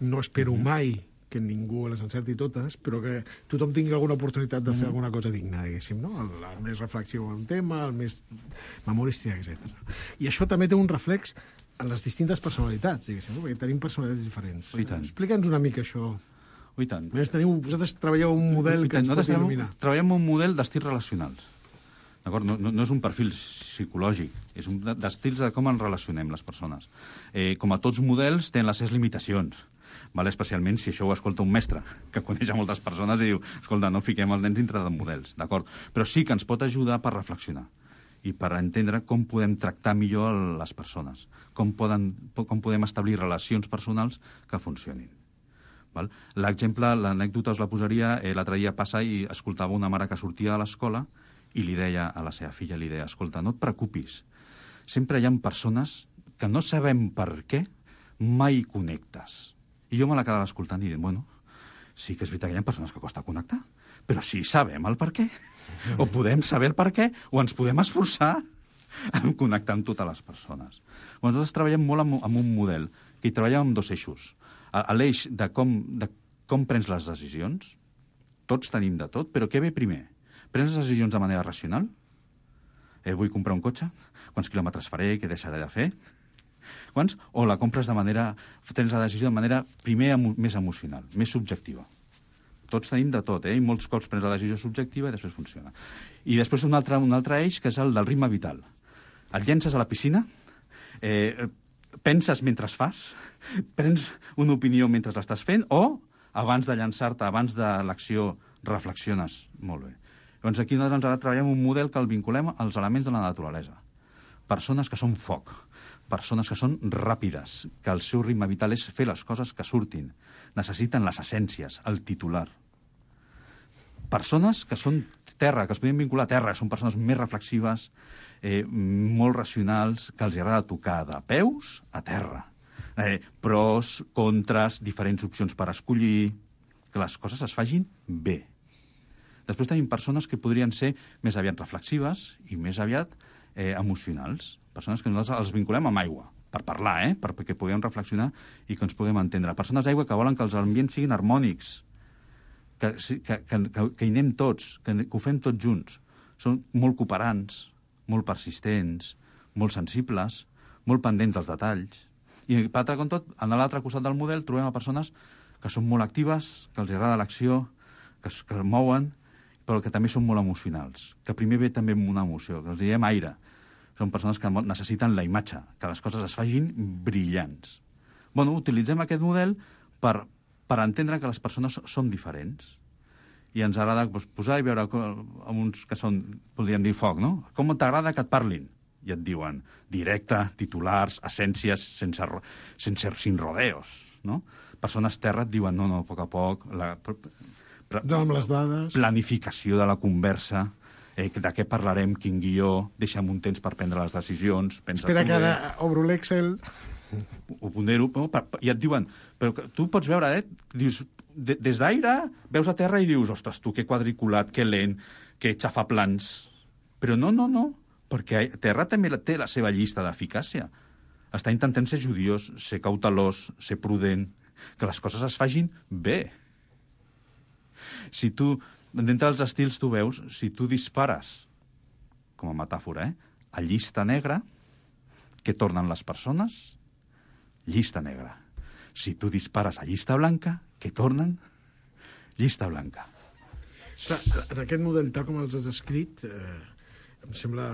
No espero mai que ningú les encerti totes, però que tothom tingui alguna oportunitat de fer alguna cosa digna, diguéssim, no? El més reflexiu en un tema, el més memorístic, etc. I això també té un reflex en les distintes personalitats, diguéssim, no? Perquè tenim personalitats diferents. Explica'ns una mica això. I tant. Vosaltres treballeu un model que ens pot il·luminar. Treballem un model d'estils relacionals. D'acord? No és un perfil psicològic, és un d'estils de com ens relacionem les persones. Com a tots models, tenen les seves limitacions. Vale? Especialment si això ho escolta un mestre, que coneix a moltes persones i diu, escolta, no fiquem els nens dintre de models, d'acord? Però sí que ens pot ajudar per reflexionar i per entendre com podem tractar millor les persones, com podem establir relacions personals que funcionin. L'exemple, l'anècdota us la posaria, l'altre dia passa i escoltava una mare que sortia de l'escola i li deia a la seva filla, escolta, no et preocupis, sempre hi ha persones que no sabem per què mai connectes. I jo me la quedava escoltant i dient, bueno, sí que és veritat que hi ha persones que costa connectar, però sí sabem el per què. O podem saber el per què, o ens podem esforçar en connectar amb totes les persones. Nosaltres treballem molt amb un model, que hi treballem amb dos eixos. L'eix de com prens les decisions, tots tenim de tot, però què ve primer? Prens les decisions de manera racional? Vull comprar un cotxe? Quants quilòmetres faré? Què deixaré de fer? Quants? O la compres tens la decisió de manera primer més emocional, més subjectiva. Tots tenim de tot, i molts cops prens la decisió subjectiva i després funciona. I després un altre eix, que és el del ritme vital. Et llences a la piscina, penses mentre fas, prens una opinió mentre l'estàs fent, o abans de llançar-te, abans de l'acció, reflexiones molt bé. Doncs aquí nosaltres ara treballem un model que el vinculem als elements de la naturalesa. Persones que són foc, persones que són ràpides, que el seu ritme vital és fer les coses que surtin. Necessiten les essències, el titular. Persones que són terra, que es podien vincular a terra, són persones més reflexives, molt racionals, que els agrada tocar de peus a terra. Pros, contres, diferents opcions per escollir, que les coses es facin bé. Després tenim persones que podrien ser més aviat reflexives i més aviat emocionals. Persones que nosaltres els vinculem amb aigua, per parlar, perquè puguem reflexionar i que ens puguem entendre. Persones d'aigua que volen que els ambients siguin harmònics, que hi anem tots, que ho fem tots junts. Són molt cooperants, molt persistents, molt sensibles, molt pendents dels detalls. I, per altre com tot, a l'altre costat del model trobem a persones que són molt actives, que els agrada l'acció, que es mouen, però que també són molt emocionals, que primer ve també amb una emoció, que els diem aire. Són persones que necessiten la imatge, que les coses es facin brillants. Bueno, utilitzem aquest model per entendre que les persones són diferents. I ens agrada posar i veure amb uns que són, podríem dir, foc, no? Com t'agrada que et parlin? I et diuen directe, titulars, essències, sin rodeos, no? Persones terra et diuen no, a poc, no amb les dades. Planificació de la conversa, de què parlarem, quin guió, deixa'm un temps per prendre les decisions. Espera que ara obro l'Excel. Ho pondero, i et diuen, però tu pots veure, dius, des d'aire veus a terra i dius, ostres, tu, que quadriculat, que lent, que xafaplans. Però no, perquè terra també té la seva llista d'eficàcia. Està intentant ser judiós, ser cautelós, ser prudent, que les coses es facin bé. Si tu, d'entre els estils, tu veus, si tu dispares, com a metàfora, a llista negra, què tornen les persones? Llista negra. Si tu dispares a llista blanca, què tornen? Llista blanca. En aquest model, tal com els has descrit, em sembla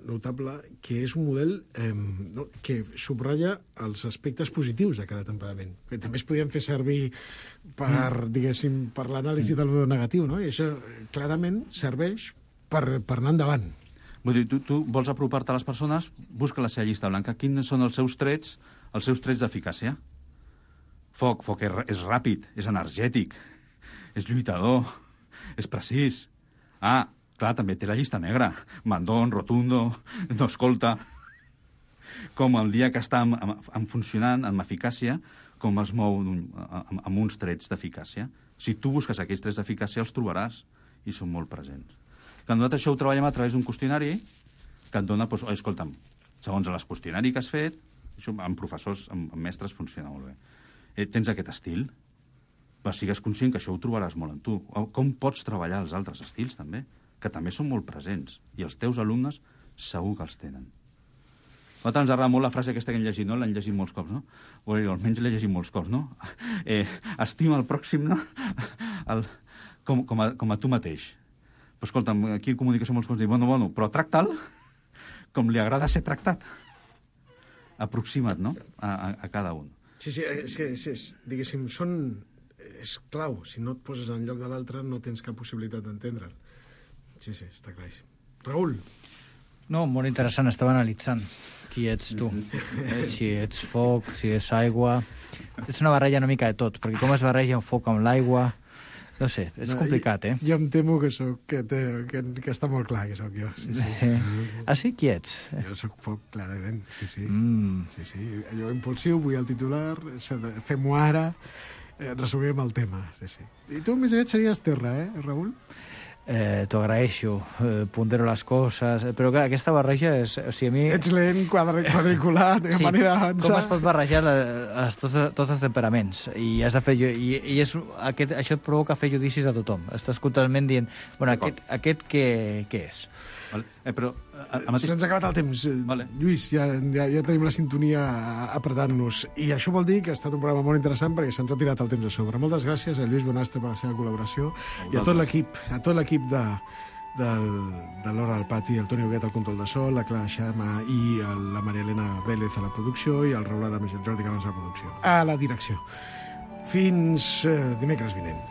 notable que és un model que subratlla els aspectes positius de cada temperament, que també es podien fer servir per, diguéssim, per l'anàlisi del negatiu, no? I això clarament serveix per anar endavant. Vull dir, tu vols apropar-te a les persones, busca la seva llista blanca. Quins són els seus trets d'eficàcia? Foc és ràpid, és energètic, és lluitador, és precís. Clar, també té la llista negra. Mandón, rotundo, no escolta. Com el dia que està funcionant amb eficàcia, com es mou amb uns trets d'eficàcia. Si tu busques aquells trets d'eficàcia, els trobaràs i són molt presents. Que nosaltres això ho treballem a través d'un qüestionari que et dona, escolta'm, segons el qüestionari que has fet, això amb professors, amb mestres, funciona molt bé. Tens aquest estil, però sigues conscient que això ho trobaràs molt en tu. Com pots treballar els altres estils, també? Que també són molt presents, i els teus alumnes segur que els tenen. A nosaltres ens agrada molt la frase aquesta que hem llegit, no? L'hem llegit molts cops, no? O almenys l'he llegit molts cops, no? Estima el pròxim, no? Com a tu mateix. Però escolta'm, aquí en comunicació molts cops diuen, bueno, però tracta'l com li agrada ser tractat. Aproxima't, no? A cada un. Sí, diguéssim, és clau. Si no et poses en lloc de l'altre, no tens cap possibilitat d'entendre'l. Sí, està clar. Raül. No, molt interessant. Estava analitzant qui ets tu. Si ets foc, si és aigua. És una barreja una mica de tot, perquè com es barreja el foc amb l'aigua, No sé, és complicat, Jo em temo que està molt clar que sóc jo. Sí. Ah, sí? Qui ets? Jo sóc foc, clarament, sí. Sí. Allò impulsiu, vull el titular, fem-ho ara, resumim el tema, sí. I tu, més aviat, series terra, Raül? T'ho agraeixo, pondero les coses, però clar, aquesta barreja és... O sigui, a mi... Ets lent, quadriculat, de manera d'avançar... Com es pot barrejar tots els temperaments? I has de fer... I això et provoca fer judicis a tothom. Estàs constantment dient, bueno, aquest què és? Vale. Però... Se'ns ha acabat el temps. Vale. Lluís, ja tenim la sintonia apretant-nos. I això vol dir que ha estat un programa molt interessant perquè se'ns ha tirat el temps a sobre. Moltes gràcies a Lluís Bonastre per la seva col·laboració i a tot l'equip de l'Hora del Pati, el Toni Huguet al control de so, la Clara Xama i la Maria Elena Vélez a la producció i el Raül Adames i el Jordi Cabans a la producció. A la direcció. Fins dimecres vinent.